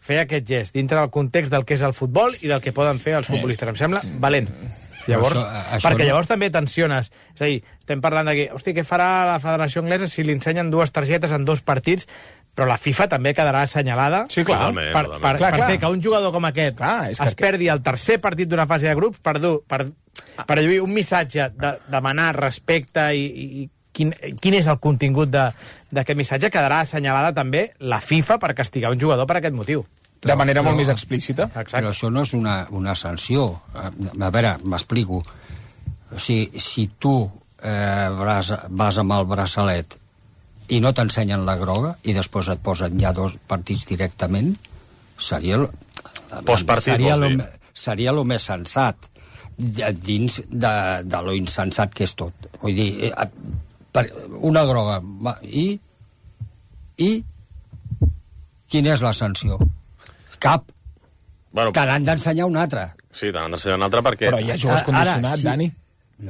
fer aquest gest dintre del context del que és el futbol i del que poden fer els futbolistes. Em sembla valent. Llavors, Però això- això perquè no- llavors també tensiones. És a dir, estem parlant de que, hosti, què farà la Federació Anglesa si li ensenyen dues targetes en dos partits, però la FIFA també quedarà assenyalada Sí, clar. Totalment, per, totalment. per, Clar, per clar. fer que un jugador com aquest Clar, és es que- perdi el tercer partit d'una fase de grups per, dur, per, per lluir un missatge de demanar respecte i, i quin, quin és el contingut de- d'aquest missatge, quedarà assenyalada també la FIFA per castigar un jugador per aquest motiu. De manera Però- molt més explícita. Però això no és una, una sanció. A, a veure, m'explico. O sigui, si tu eh, vas, vas amb el braçalet i no t'ensenyen la groga i després et posen ja dos partits directament, seria... el- Postpartit, seria vols lo, dir? me- seria el més sensat de- dins de, de lo insensat que és tot. Vull dir, eh, per, una groga va, i i quina és la sanció? Cap. Bueno, Te n'han d'ensenyar una altra. sí, te n'han d'ensenyar un altre perquè... Però ja jugues Ara, condicionat, sí. Dani.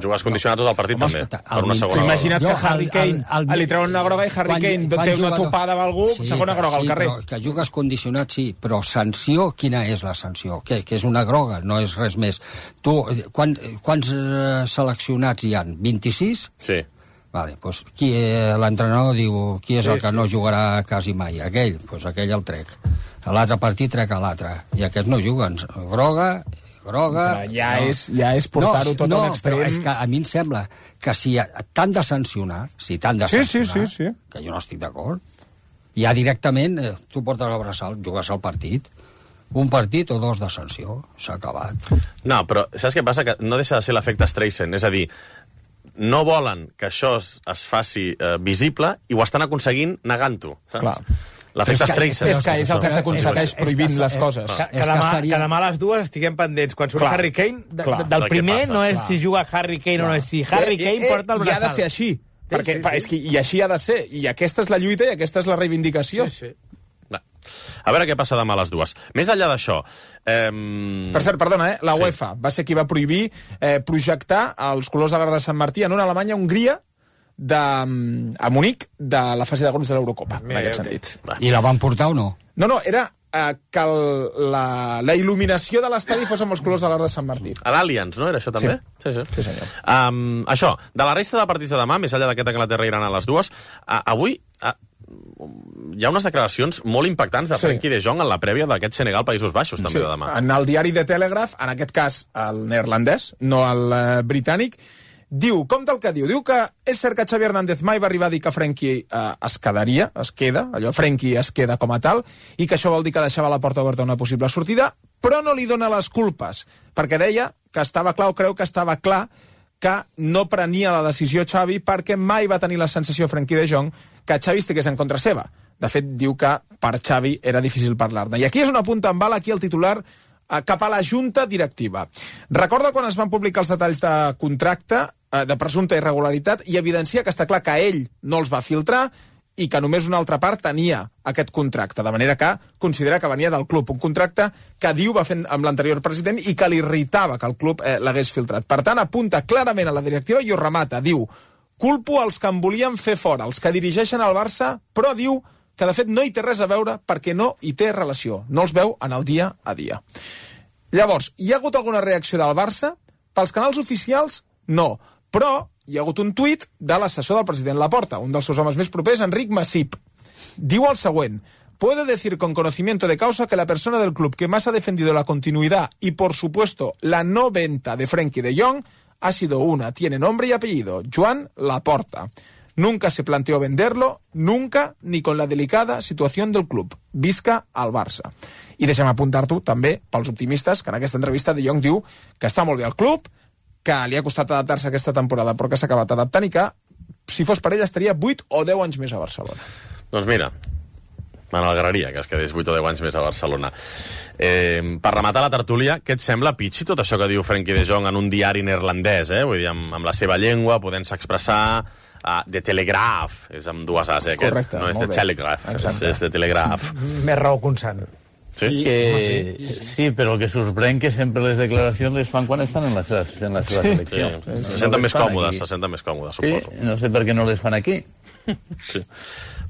Jugues condicionat tot el partit, Home, també, escolta, per el una min- segona groga. Imagina't Jo, que Harry el- Kane el- el- li treuen una groga i Harry Quan- Kane quan té una jugador- topada amb algú, segona groga al sí, carrer. Però que jugues condicionat, sí, però sanció, quina és la sanció? Que, que és una groga, no és res més. Tu, quan, quants eh, seleccionats hi han? vint-i-sis? Sí. Vale, doncs qui, eh, l'entrenador diu qui és Sí, el que sí. no jugarà quasi mai? Aquell, doncs aquell el trec. A l'altre partit trec a l'altre. I aquests no juguen. Groga, groga... Però ja no. és- ja és portar-ho tot a no, un extrem. Però és que a mi em sembla que si t'han de sancionar, si t'han de Sí, sí, sancionar, sí, sí. que jo no estic d'acord, ja directament eh, tu portes el braçal, jugues al partit. Un partit o dos de sanció, s'ha acabat. No, però saps què passa? Que no deixa de ser l'efecte Streisand, és a dir, no volen que això es, es faci eh, visible i ho estan aconseguint negant-ho. Clar. L'efecte Streisand. És que és el que s'aconsegueix prohibint les coses. Que, que, demà, que demà a les dues estiguem pendents. Quan surt Harry Kane, de, clar, del primer passa, no és clar. si juga Harry Kane clar. o no és si Harry Kane eh, eh, porta el braçal. I ha de ser així. Sí, perquè, sí, sí. És que, I així ha de ser. I aquesta és la lluita i aquesta és la reivindicació. Sí, sí. A veure què passa demà a les dues. Més enllà d'això... Eh... Per cert, perdona, eh? la sí. UEFA va ser qui va prohibir eh, projectar els colors de l'Arc de Sant Martí en una Alemanya-Hongria de, a Munic de la fase de grups de l'Eurocopa, en aquest sentit. I la van portar o no? No, no, era eh, que el, la, la il·luminació de l'estadi fos amb els colors de l'Arc de Sant Martí. A l'Allianz, no? Era això també? Sí, sí, sí senyor. Um, això, de la resta de partits de demà, més enllà d'aquest Anglaterra-Iran a les dues, uh, avui... Uh, hi ha unes declaracions molt impactants de Frenkie sí. de Jong en la prèvia d'aquest Senegal-Països Baixos, també, sí. de demà. En el diari The Telegraph, en aquest cas el neerlandès, no el eh, britànic, diu, com del que diu? Diu que és cert que Xavi Hernández mai va arribar a dir que Frenkie eh, es quedaria, es queda, allò Frenkie es queda com a tal, i que això vol dir que deixava la porta oberta a una possible sortida, però no li dona les culpes, perquè deia que estava clar, o creu que estava clar, que no prenia la decisió Xavi perquè mai va tenir la sensació Frenkie de Jong que Xavi estigués en contra seva. De fet, diu que per Xavi era difícil parlar-ne. I aquí és on apunta en bala aquí el titular eh, cap a la junta directiva. Recorda quan es van publicar els detalls de contracte, eh, de presumpta irregularitat, i evidencia que està clar que ell no els va filtrar i que només una altra part tenia aquest contracte, de manera que considera que venia del club, un contracte que diu va fer amb l'anterior president i que li irritava que el club eh, l'hagués filtrat. Per tant, apunta clarament a la directiva i ho remata, diu: culpo els que em volien fer fora, els que dirigeixen el Barça, però diu que de fet no hi té res a veure perquè no hi té relació, no els veu en el dia a dia. Llavors, hi ha hagut alguna reacció del Barça? Pels canals oficials, no, però hi ha hagut un tuit de l'assessor del president Laporta, un dels seus homes més propers, Enric Masip. Diu el següent: puede decir con conocimiento de causa que la persona del club que más ha defendido la continuidad y, por supuesto, la no venta de Frenkie de Jong ha sido una, tiene nombre y apellido, Joan Laporta. Nunca se planteó venderlo, nunca, ni con la delicada situación del club. Visca al Barça. I deixa'm apuntar-t'ho també pels optimistes, que en aquesta entrevista De Jong diu que està molt bé al club, que li ha costat adaptar-se aquesta temporada, però que s'ha acabat adaptant i que, si fos per ell, estaria vuit o deu anys més a Barcelona. Doncs mira, m'alegraria que es quedés vuit o deu anys més a Barcelona. Eh, per rematar la tertúlia, què et sembla, Pichi, tot això que diu Frenkie de Jong en un diari neerlandès, eh? Vull dir, amb, amb la seva llengua, podent-se expressar... Uh, de Telegraph, és amb dues As, eh, aquest. Correcte, no és de molt bé. Telegraph, és, és de Telegraph. Més raó consant. Sí? Que, sí, sí, però que sorprèn que sempre les declaracions les fan quan estan en la seva, en la seva sí, selecció. Sí, se senten més còmodes, se senten més còmodes, suposo. Sí, no sé per què no les fan aquí. Sí.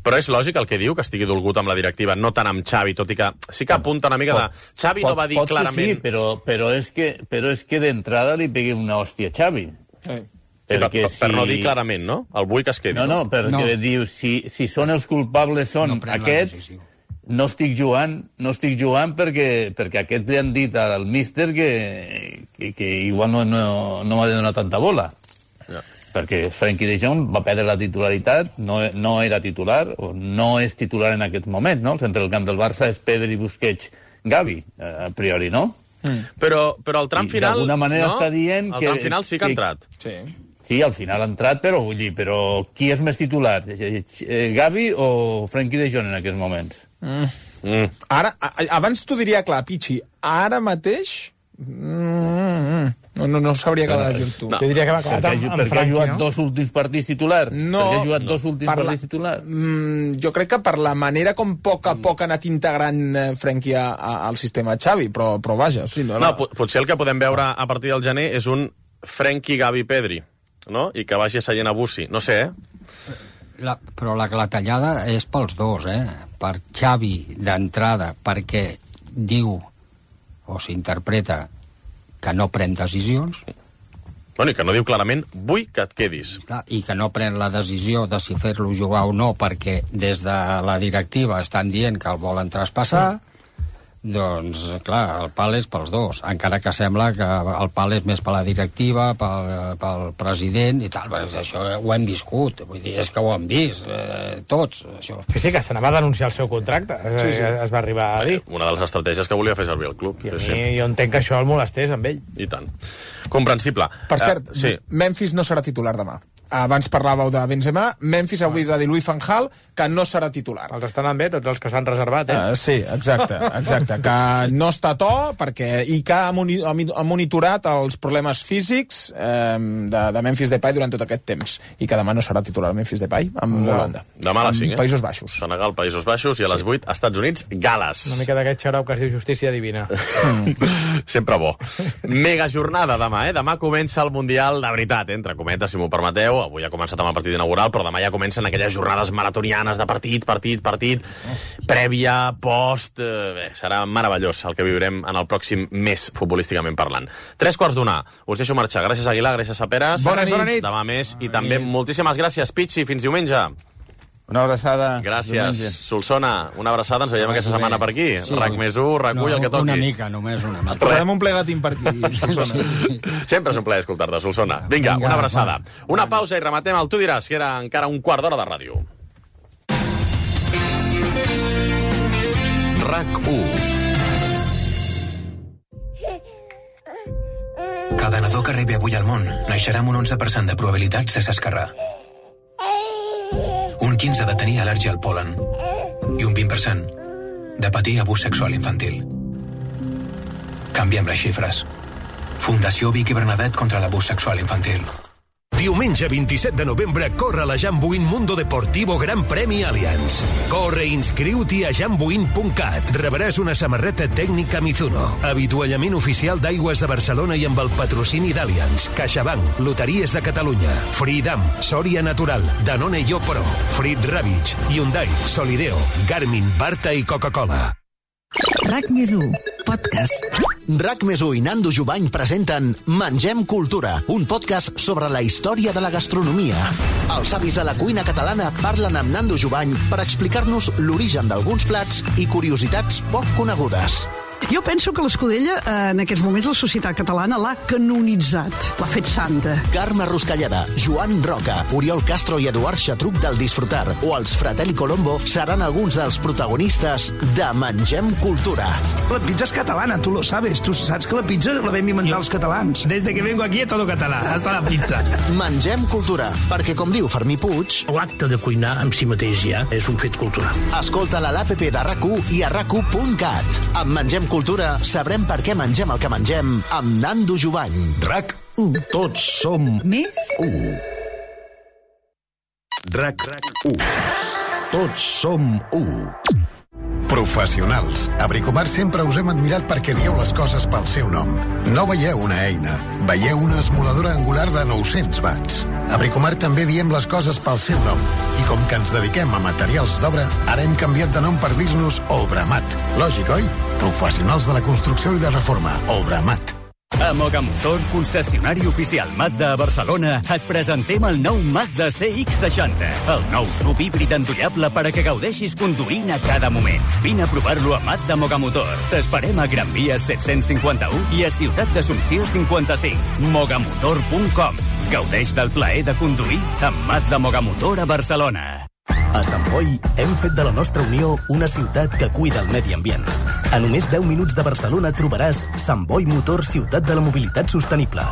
Però és lògic el que diu, que estigui dolgut amb la directiva, no tant amb Xavi, tot i que sí que apunta una mica de... Xavi pot, no va dir pot clarament... Sí, però, però és que, però és que d'entrada li pegui una hòstia a Xavi. Sí. Per, per, si... per no dir clarament, no? El vull que es quedi. No, no, perquè no. Diu, si, si són els culpables són no aquests, no estic jugant, no estic jugant perquè, perquè aquests li han dit al míster que, que, que igual no, no, no m'ha de donar tanta bola. Ja. Perquè Frenkie de Jong va perdre la titularitat, no, no era titular, o no és titular en aquest moment, no? El centre del camp del Barça és Pedri, Busquets, Gavi, a priori, no? Mm. Però, però el tram final... D'alguna manera no? està dient el que... El tram final sí que ha entrat. Sí. Sí, al final ha entrat, però vull dir, però qui és més titular? Gavi o Frenkie de Jong en aquests moments? Mm. Mm. Ara, a, abans t'ho diria clar, Pichi, ara mateix... Mm, no, no, no sabria què dir tu. No. Jo diria que va clar amb, amb Perquè ha jugat no? dos últims partits titular? No. Perquè ha jugat no. dos últims per partits la, titular? Mm, jo crec que per la manera com a poc a poc ha anat integrant Frenkie a, a, al sistema Xavi, però, però vaja... Sí, no, no, no, potser el que podem veure a partir del gener és un Frenkie, Gavi, Pedri, no? I que vagi seient a Bussi. No sé, eh? La, però la clatellada és pels dos, eh? Per Xavi, d'entrada, perquè diu o s'interpreta que no pren decisions. Bueno, i que no diu clarament, vull que et quedis. I que no pren la decisió de si fer-lo jugar o no, perquè des de la directiva estan dient que el volen traspassar, Doncs, clar, el pal és pels dos, encara que sembla que el pal és més per la directiva, pel, pel president i tal, però això ho hem viscut, vull dir, és que ho hem vist, eh, tots, això. Sí, sí, que se n'ava a denunciar el seu contracte, sí, sí. Es va arribar a dir. Una de les estratègies que volia fer servir el club. I a sí, mi, sí. jo entenc que això el molestés amb ell. I tant. Comprensible. Per cert, uh, sí. Memphis no serà titular demà. Abans parlàveu de Benzema, Memphis avui de Louis van Gaal, que no serà titular. Els estan bé, tots els que s'han reservat, eh? Uh, sí, exacte, exacte. Que no està a to, perquè, i que ha, moni, ha monitorat els problemes físics eh, de, de Memphis Depay durant tot aquest temps. I que demà no serà titular Memphis Depay amb no. Holanda. Demà a les cinc, eh? Països Baixos. Senegal, Països Baixos, i a les sí. vuit, Estats Units, Gales. Una mica d'aquest xarop que es diu justícia divina. Sempre bo. Mega jornada demà, eh? Demà comença el Mundial, de veritat, eh? Entre cometes, si m'ho permeteu. Avui ha començat amb el partit inaugural, però demà ja comencen aquelles jornades maratonianes de partit, partit, partit, prèvia, post... Eh, bé, serà meravellós el que viurem en el pròxim mes, futbolísticament parlant. Tres quarts d'una. Us deixo marxar. Gràcies, Aguilar, gràcies a Peres. Bona nit. Bona nit. Demà més. I també moltíssimes gràcies, Pichi. Fins diumenge. Una abraçada. Gràcies. Diumenge. Solsona, una abraçada. Ens veiem aquesta setmana per aquí. Sí. RAC més u, RAC u no, i el que toqui. Una mica, només una mica. Posarem un plegatín per aquí, Solsona. Sempre és un plaer escoltar-te, Solsona. Vinga, Vinga una abraçada. Va. Una pausa i rematem el Tu diràs, que era encara un quart d'hora de ràdio. RAC u. Cada nadó que rebi avui al món naixerà amb un onze per cent de probabilitats de s'escarrar. Un quinze de tenir al·lèrgia al pol·len i un vint per cent de patir abús sexual infantil. Canviem les xifres. Fundació Vicky Bernadet contra l'abús sexual infantil. Diumenge vint-i-set de novembre corre la Jambuin Mundo Deportivo Gran Premi Allianz. Corre i inscriu-t'hi a jambuin punt cat. Rebràs una samarreta tècnica Mizuno, avituallament oficial d'Aigües de Barcelona i amb el patrocini d'Allianz, CaixaBank, Loteries de Catalunya, Freedom, Soria Natural, Danone Yo Pro, Frit Ravitch, Hyundai, Solideo, Garmin, Barta i Coca-Cola. RAC més u, podcast. RAC més u i Nando Jubany presenten Mengem Cultura, un podcast sobre la història de la gastronomia. Els avis de la cuina catalana parlen amb Nando Jubany per explicar-nos l'origen d'alguns plats i curiositats poc conegudes. Jo penso que l'Escudella, en aquests moments, la societat catalana l'ha canonitzat, l'ha fet santa. Carme Ruscalleda, Joan Roca, Oriol Castro i Eduard Xatruc del Disfrutar o els Fratelli Colombo seran alguns dels protagonistes de Mengem Cultura. La pizza és catalana, tu lo sabes. Tu saps que la pizza la vam inventar els catalans. Desde que vengo aquí a todo català, hasta la pizza. Mengem Cultura, perquè com diu Fermí Puig... L'acte de cuinar en si mateix ja és un fet cultural. Escolta-la a l'App de RAC u i a rac u punt cat. Amb Mengem Cultura sabrem per què mengem el que mengem amb Nando Jubany. RAC u. Tots som més u. RAC u. Tots som u. Professionals. A Bricomart sempre us hem admirat perquè dieu les coses pel seu nom. No veieu una eina, veieu una esmoladora angular de nou-cents watts. A Bricomart també diem les coses pel seu nom. I com que ens dediquem a materials d'obra, ara hem canviat de nom per dir-nos Obramat. Lògic, oi? Professionals de la construcció i la reforma. Obramat. A Mogamotor, concessionari oficial Mazda a Barcelona, et presentem el nou Mazda C X seixanta, el nou sub híbrid endollable per a que gaudeixis conduint a cada moment. Vine a provar-lo a Mazda Mogamotor. T'esperem a Gran Via set-cents cinquanta-u i a Ciutat d'Assumpció cinquanta-cinc. mogamotor punt com. Gaudeix del plaer de conduir amb Mazda Mogamotor a Barcelona. A Sant Boi hem fet de la nostra Unió una ciutat que cuida el medi ambient. A només deu minuts de Barcelona trobaràs Sant Boi Motor, ciutat de la mobilitat sostenible.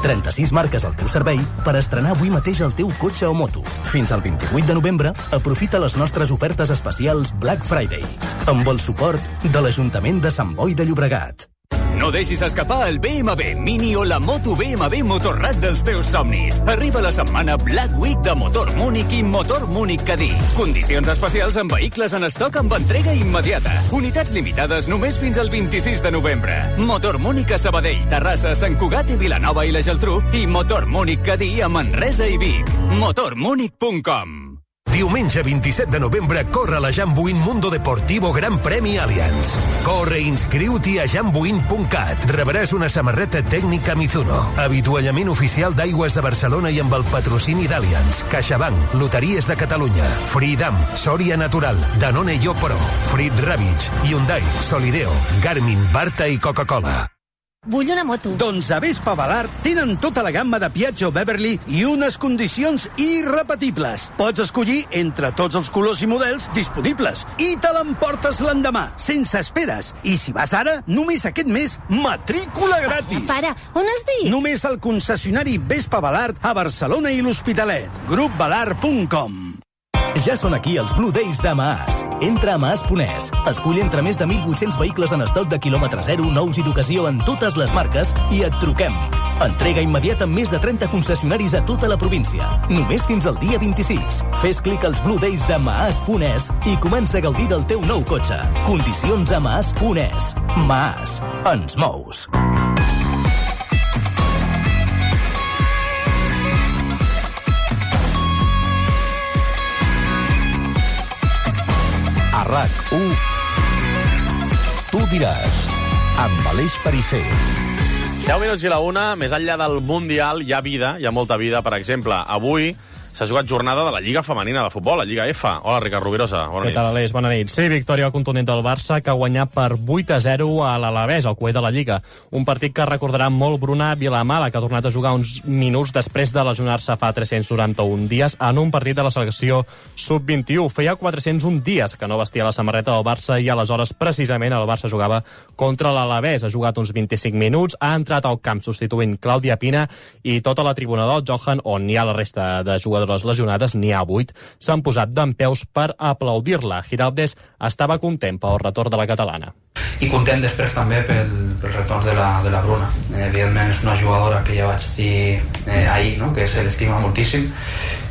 trenta-sis marques al teu servei per estrenar avui mateix el teu cotxe o moto. Fins al vint-i-vuit de novembre, aprofita les nostres ofertes especials Black Friday, amb el suport de l'Ajuntament de Sant Boi de Llobregat. No deixis escapar el B M W Mini o la moto B M W Motorrad dels teus somnis. Arriba la setmana Black Week de Motor Múnich i Motor Múnich Cadí. Condicions especials en vehicles en estoc amb entrega immediata. Unitats limitades només fins al vint-i-sis de novembre. Motor Múnich a Sabadell, Terrassa, Sant Cugat i Vilanova i la Geltrú i Motor Múnich Cadí a Manresa i Vic. motor múnich punt com. Diumenge vint-i-set de novembre corre la Jambuin Mundo Deportivo Gran Premi Allianz. Corre i inscriu-t'hi a jambuin punt cat. Rebràs una samarreta tècnica Mizuno, avituallament oficial d'Aigües de Barcelona i amb el patrocini d'Allianz, CaixaBank, Loteries de Catalunya, Freedom, Soria Natural, Danone Yo Pro, Frit Ravitch, Hyundai, Solideo, Garmin, Barta i Coca-Cola. Vull una moto. Doncs a Vespa Balart tenen tota la gamma de Piaggio Beverly i unes condicions irrepetibles. Pots escollir entre tots els colors i models disponibles i te l'emportes l'endemà, sense esperes. I si vas ara, només aquest mes, matrícula gratis. Para, on has dit? Només al concessionari Vespa Balart a Barcelona i l'Hospitalet. grup balart punt com. Ja són aquí els Blue Days de Maas. Entra a maas punt es. Escull entre més de mil vuit-cents vehicles en estoc de quilòmetre zero, nous i d'ocasió en totes les marques i et truquem. Entrega immediata amb més de trenta concessionaris a tota la província. Només fins al dia vint-i-sis. Fes clic als Blue Days de maas punt es i comença a gaudir del teu nou cotxe. Condicions a maas punt es. Maas. Ens mous. A RAC u, tu diràs, amb Aleix Perisser. deu minuts i la una, més enllà del Mundial hi ha vida, hi ha molta vida. Per exemple, avui s'ha jugat jornada de la Lliga Femenina de Futbol, la Lliga F. Hola, Ricard Rovirosa. Bona Què nit. tal, Aleix? Bona nit. Sí, victòria contundent del Barça, que ha guanyat per vuit a zero a l'Alavés, al cuer de la Lliga. Un partit que recordarà molt Bruna Vilamala, que ha tornat a jugar uns minuts després de lesionar-se fa tres-cents noranta-un dies en un partit de la selecció sub vint-i-u. Feia quatre-cents un dies que no vestia la samarreta del Barça i aleshores, precisament, el Barça jugava contra l'Alavés. Ha jugat uns vint-i-cinc minuts, ha entrat al camp substituint Clàudia Pina i tota la tribuna del Johan, on hi ha la resta de jugadors lesionades, n'hi ha vuit, s'han posat dempeus per aplaudir-la. Giraldez estava content pel retorn de la catalana. I content després també pel, pel retorn de la, de la Bruna. Eh, evidentment és una jugadora que ja vaig dir eh, ahir, no? Que se l'estima moltíssim,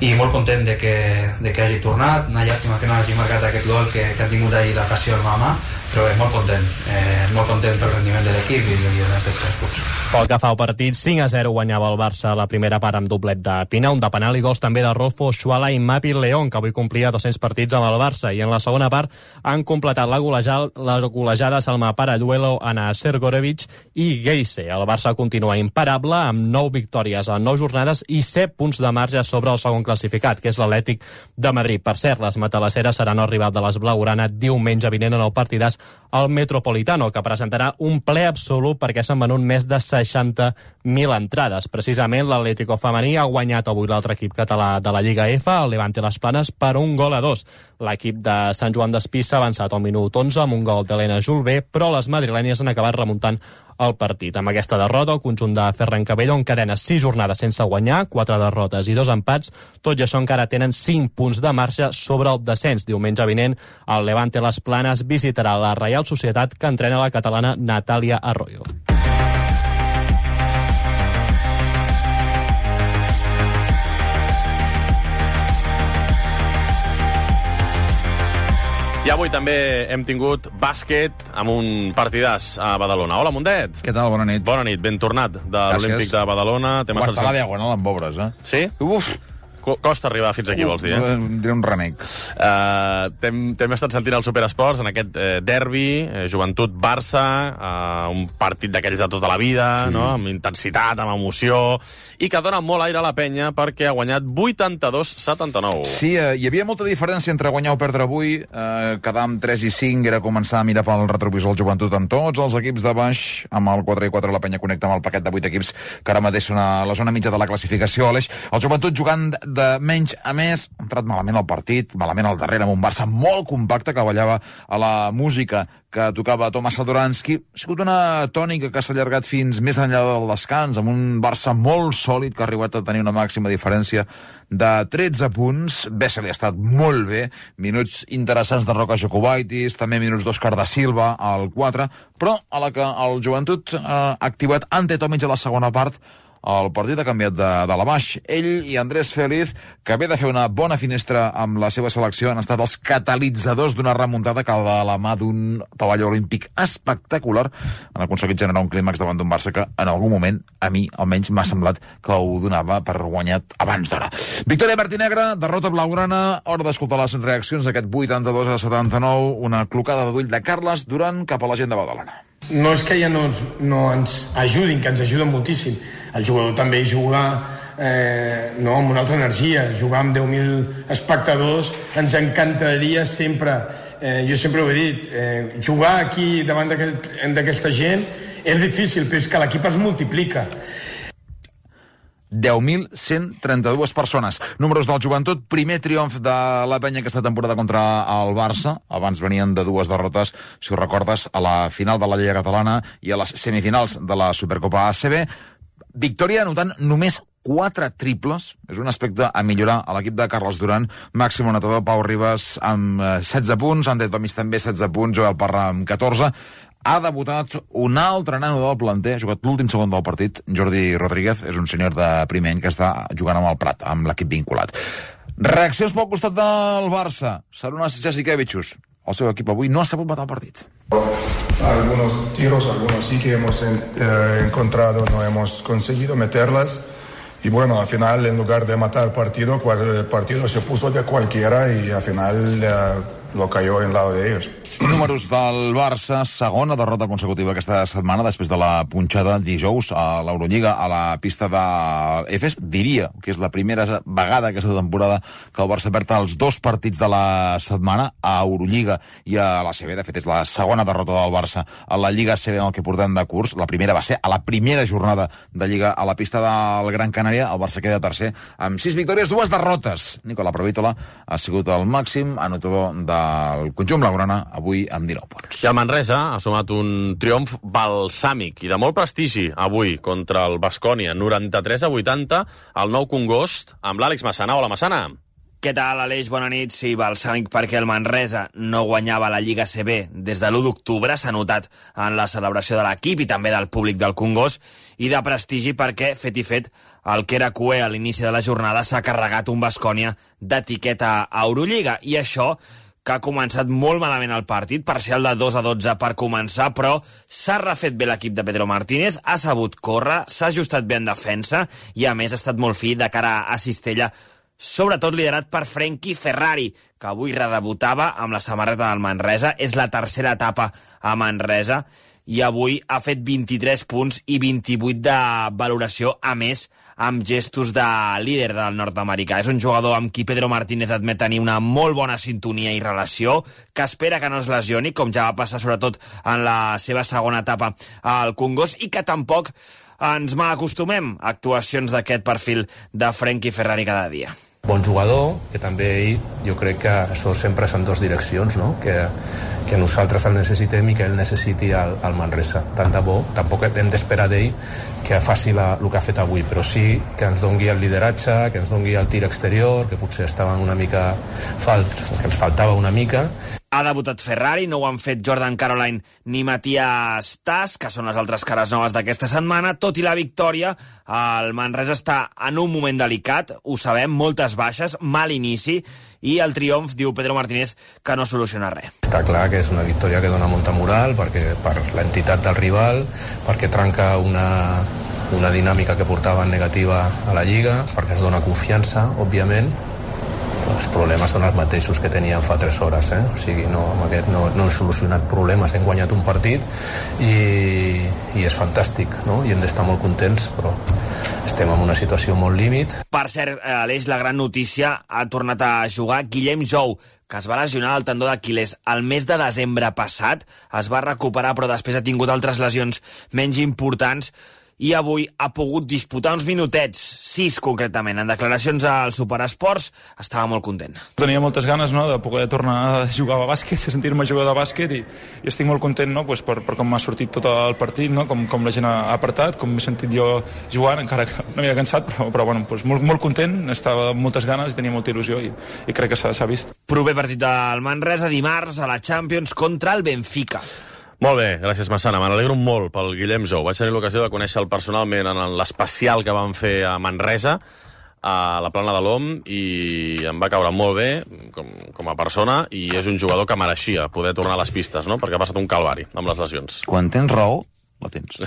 i molt content de que, de que hagi tornat. Una llàstima que no hagi marcat aquest gol que, que ha tingut ahir l'ocasió el Mamà, però és molt content, eh, molt content pel rendiment de l'equip i, i dels tres punts. Pel que fa al partit, cinc a zero guanyava el Barça a la primera part amb doblet de Pina, un de penal i gols també de Rolfo, Xuala i Mapi León, que avui complia dos-cents partits amb el Barça, i en la segona part han completat la golejada, la golejada Salma Paralluelo, Ana Sergorevic i Geise. El Barça continua imparable amb nou victòries en nou jornades i set punts de marge sobre el segon classificat, que és l'Atlètic de Madrid. Per cert, les matalasseres seran el rival de les blaugrana diumenge vinent en el partidàs al Metropolitano, que presentarà un ple absolut perquè s'han venut més de seixanta mil entrades. Precisament l'Atlético femení ha guanyat avui l'altre equip català de la Lliga F, el Levante Les Planes, per un gol a dos. L'equip de Sant Joan d'Espí s'ha avançat al minut onze amb un gol d'Helena Julbé, però les madrilènies han acabat remuntant el partit. Amb aquesta derrota, el conjunt de Ferran Cabello encadena sis jornades sense guanyar, quatre derrotes i dos empats. Tot i això encara tenen cinc punts de marxa sobre el descens. Diumenge vinent, el Levante Les Planes visitarà la Reial Societat, que entrena la catalana Natàlia Arroyo. I avui també hem tingut bàsquet amb un partidàs a Badalona. Hola, Mundet. Què tal? Bona nit. Bona nit, ben tornat de l'Olímpic de Badalona. Ho està la diagonal amb obres, eh? Sí? Uf! Costa arribar fins aquí, vols dir, eh? Diré un renec. Uh, T'hem estat sentint al Superesports en aquest eh, derbi, eh, Joventut-Barça, uh, un partit d'aquells de tota la vida, sí. No? Amb intensitat, amb emoció, i que dona molt aire a la penya perquè ha guanyat vuitanta-dos a setanta-nou. Sí, eh, hi havia molta diferència entre guanyar o perdre avui. Eh, quedar amb tres i cinc era començar a mirar pel retrovisor el Joventut amb tots els equips de baix. Amb el quatre i quatre la penya connecta amb el paquet de vuit equips que ara mateix són a la zona mitja de la classificació. Aleix, el Joventut jugant de menys a més, ha entrat malament al partit, malament al darrere, amb un Barça molt compacte que ballava a la música que tocava Tomas Sadoransky. Ha sigut una tònica que s'ha allargat fins més enllà del descans, amb un Barça molt sòlid que ha arribat a tenir una màxima diferència de tretze punts. Bessel ha estat molt bé, minuts interessants de Roca Jokubaitis, també minuts d'Òscar da Silva al quatre, però a la que el Joventut ha activat Ante Tomic a la segona part, el partit ha canviat de, de la baix. Ell i Andrés Feliz, que ve de fer una bona finestra amb la seva selecció, han estat els catalitzadors d'una remuntada que de la mà d'un pavelló olímpic espectacular han aconseguit generar un clímax davant d'un Barça que en algun moment, a mi almenys, m'ha semblat que ho donava per guanyat abans d'hora. Victòria Martinegre, derrota blaugrana, hora d'escoltar les reaccions d'aquest vuitanta-dos a setanta-nou, una clocada de d'ull de Carles Duran cap a la gent de Badalona. No és que ja no ens, no ens ajudin, que ens ajuden moltíssim. El jugador també juga eh, no, amb una altra energia. Jugar amb deu mil espectadors ens encantaria sempre. Eh, jo sempre ho he dit, eh, jugar aquí davant d'aquesta gent és difícil, però és que l'equip es multiplica. deu mil cent trenta-dues persones. Números del Joventut, primer triomf de la penya aquesta temporada contra el Barça. Abans venien de dues derrotes, si ho recordes, a la final de la Lliga Catalana i a les semifinals de la Supercopa A C B. Victòria anotant només quatre triples, és un aspecte a millorar a l'equip de Carles Duran. Màxim anotador Pau Ribas amb setze punts, Ander Tomis també setze punts, Joel Parra amb catorze. Ha debutat un altre nano del planter, ha jugat l'últim segon del partit, Jordi Rodríguez, és un senyor de primer any que està jugant amb el Prat, amb l'equip vinculat. Reaccions pel costat del Barça. Sarunas Jasikevičius, el seu equip avui no ha sabut matar el partit. Algunos tiros, algunos sí que hemos eh, encontrado, no hemos conseguido meterlas. Y bueno, al final, en lugar de matar el partido, el partido se puso de cualquiera y al final eh, lo cayó en lado de ellos. Números del Barça, segona derrota consecutiva aquesta setmana després de la punxada dijous a l'Eurolliga a la pista de Efes. Diria que és la primera vegada aquesta temporada que el Barça perd els dos partits de la setmana a Eurolliga i a la C B. De fet, és la segona derrota del Barça a la Lliga C B en el que portem de curs. La primera va ser a la primera jornada de Lliga a la pista del Gran Canària. El Barça queda tercer amb sis victòries, dues derrotes. Nicola Provítola ha sigut el màxim anotador del conjunt blaugrana avui amb dinou punts. I el Manresa ha sumat un triomf balsàmic i de molt prestigi avui contra el Baskonia, noranta-tres a vuitanta, al Nou Congost, amb l'Àlex Massana. Hola, Massana. Què tal, Aleix? Bona nit. Sí, balsàmic perquè el Manresa no guanyava la Lliga C B des de l'u d'octubre. S'ha notat en la celebració de l'equip i també del públic del Congost. I de prestigi perquè, fet i fet, el que era cué a l'inici de la jornada s'ha carregat un Baskonia d'etiqueta a Eurolliga. I això que ha començat molt malament el partit, parcial de dos a dotze per començar, però s'ha refet bé l'equip de Pedro Martínez, ha sabut córrer, s'ha ajustat bé en defensa i, a més, ha estat molt fi de cara a Cistella, sobretot liderat per Frenkie Ferrari, que avui redebutava amb la samarreta del Manresa. És la tercera etapa a Manresa i avui ha fet vint-i-tres punts i vint-i-vuit de valoració, a més, amb gestos de líder del nord-americà. És un jugador amb qui Pedro Martínez admet tenir una molt bona sintonia i relació, que espera que no es lesioni, com ja va passar sobretot en la seva segona etapa al Congost, i que tampoc ens malacostumem a actuacions d'aquest perfil de Frenkie Ferrari cada dia. Bon jugador, que també ell, jo crec que això sempre són dues direccions, no? que, que nosaltres el necessitem i que ell necessiti el, el Manresa. Tant de bo, tampoc hem d'esperar d'ell que faci la, el que ha fet avui, però sí que ens dongui el lideratge, que ens dongui el tir exterior, que potser estaven una mica falts, que ens faltava una mica. Ha debutat Ferrari, no ho han fet Jordan Caroline ni Matías Tas, que són les altres cares noves d'aquesta setmana. Tot i la victòria, el Manresa està en un moment delicat, ho sabem, moltes baixes, mal inici, i el triomf, diu Pedro Martínez, que no soluciona res. Està clar que és una victòria que dona molta moral, perquè per l'entitat del rival, perquè trenca una, una dinàmica que portaven negativa a la Lliga, perquè ens dona confiança, òbviament. Els problemes són els mateixos que teníem fa tres hores, eh? O sigui, no, amb aquest no, no hem solucionat problemes, hem guanyat un partit i, i és fantàstic, no? I hem d'estar molt contents, però estem en una situació molt límit. Per cert, Aleix, la gran notícia, ha tornat a jugar Guillem Jou, que es va lesionar el tendó d'Aquilès el mes de desembre passat, es va recuperar però després ha tingut altres lesions menys importants, i avui ha pogut disputar uns minutets, sis concretament. En declaracions al Superesports estava molt content. Tenia moltes ganes, no?, de poder tornar a jugar a bàsquet, de sentir-me jugar de bàsquet, i, i estic molt content, no?, pues, per, per com m'ha sortit tot el partit, no?, com, com la gent ha apretat, com m'he sentit jo jugant, encara que no m'havia cansat, però, però bueno, pues, molt, molt content, estava amb moltes ganes i tenia molta il·lusió, i, i crec que s'ha vist. Proper partit del Manresa dimarts a la Champions contra el Benfica. Molt bé, gràcies, Massana. Me n'alegro molt pel Guillem Jou. Vaig tenir l'ocasió de conèixer-lo personalment en l'especial que van fer a Manresa, a la Plana de l'Om, i em va caure molt bé com, com a persona, i és un jugador que mereixia poder tornar a les pistes, no? Perquè ha passat un calvari amb les lesions. Quan tens raó, la tens.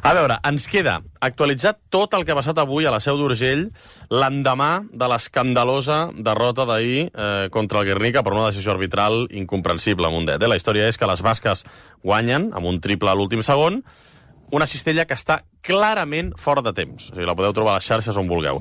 A veure, ens queda actualitzat tot el que ha passat avui a la Seu d'Urgell l'endemà de l'escandalosa derrota d'ahir eh, contra el Guernica per una decisió arbitral incomprensible, Mundet. Eh? La història és que les basques guanyen amb un triple a l'últim segon, una cistella que està clarament fora de temps. O sigui, la podeu trobar a les xarxes on vulgueu.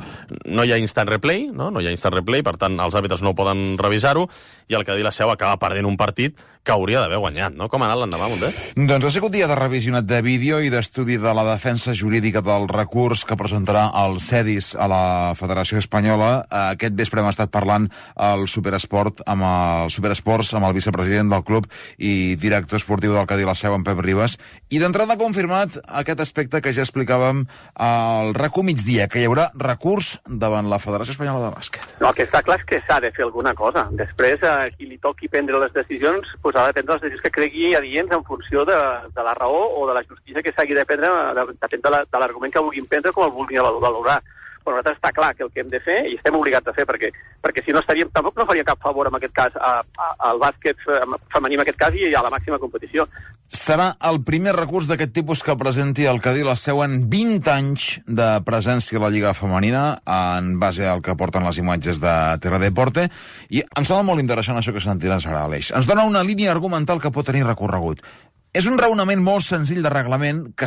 No hi ha instant replay, no? No hi ha instant replay, per tant, els àrbitres no poden revisar-ho, i el Cadí la Seu acaba perdent un partit que hauria d'haver guanyat, no? Com ha anat l'endemà, Mundet? Doncs ha sigut dia de revisionat de vídeo i d'estudi de la defensa jurídica del recurs que presentarà el CEDIS a la Federació Espanyola. Aquest vespre hem estat parlant al Superesport amb el Superesports amb el vicepresident del club i director esportiu del Cadí la Seu, en Pep Ribas, i d'entrada ha confirmat aquest aspecte que ja explicàvem al RACU migdia, que hi haurà recurs davant la Federació Espanyola de Bàsquet. No, el que està clar és que s'ha de fer alguna cosa. Després, a qui li toqui prendre les decisions, doncs ha de prendre les decisions que cregui adients en funció de, de la raó o de la justícia que s'hagi de prendre, depèn de l'argument que vulguin prendre com el vulguin valorar. Però nosaltres està clar que el que hem de fer, i estem obligats a fer, perquè, perquè si no estaríem, tampoc no faria cap favor en aquest cas a, a, al bàsquet femení en aquest cas i a la màxima competició. Serà el primer recurs d'aquest tipus que presenti el Cadí la Seu en vint anys de presència a la Lliga Femenina, en base al que porten les imatges de Teledeporte, i em sembla molt interessant això que sentiràs ara, Aleix. Ens dona una línia argumental que pot tenir recorregut. És un raonament molt senzill de reglament que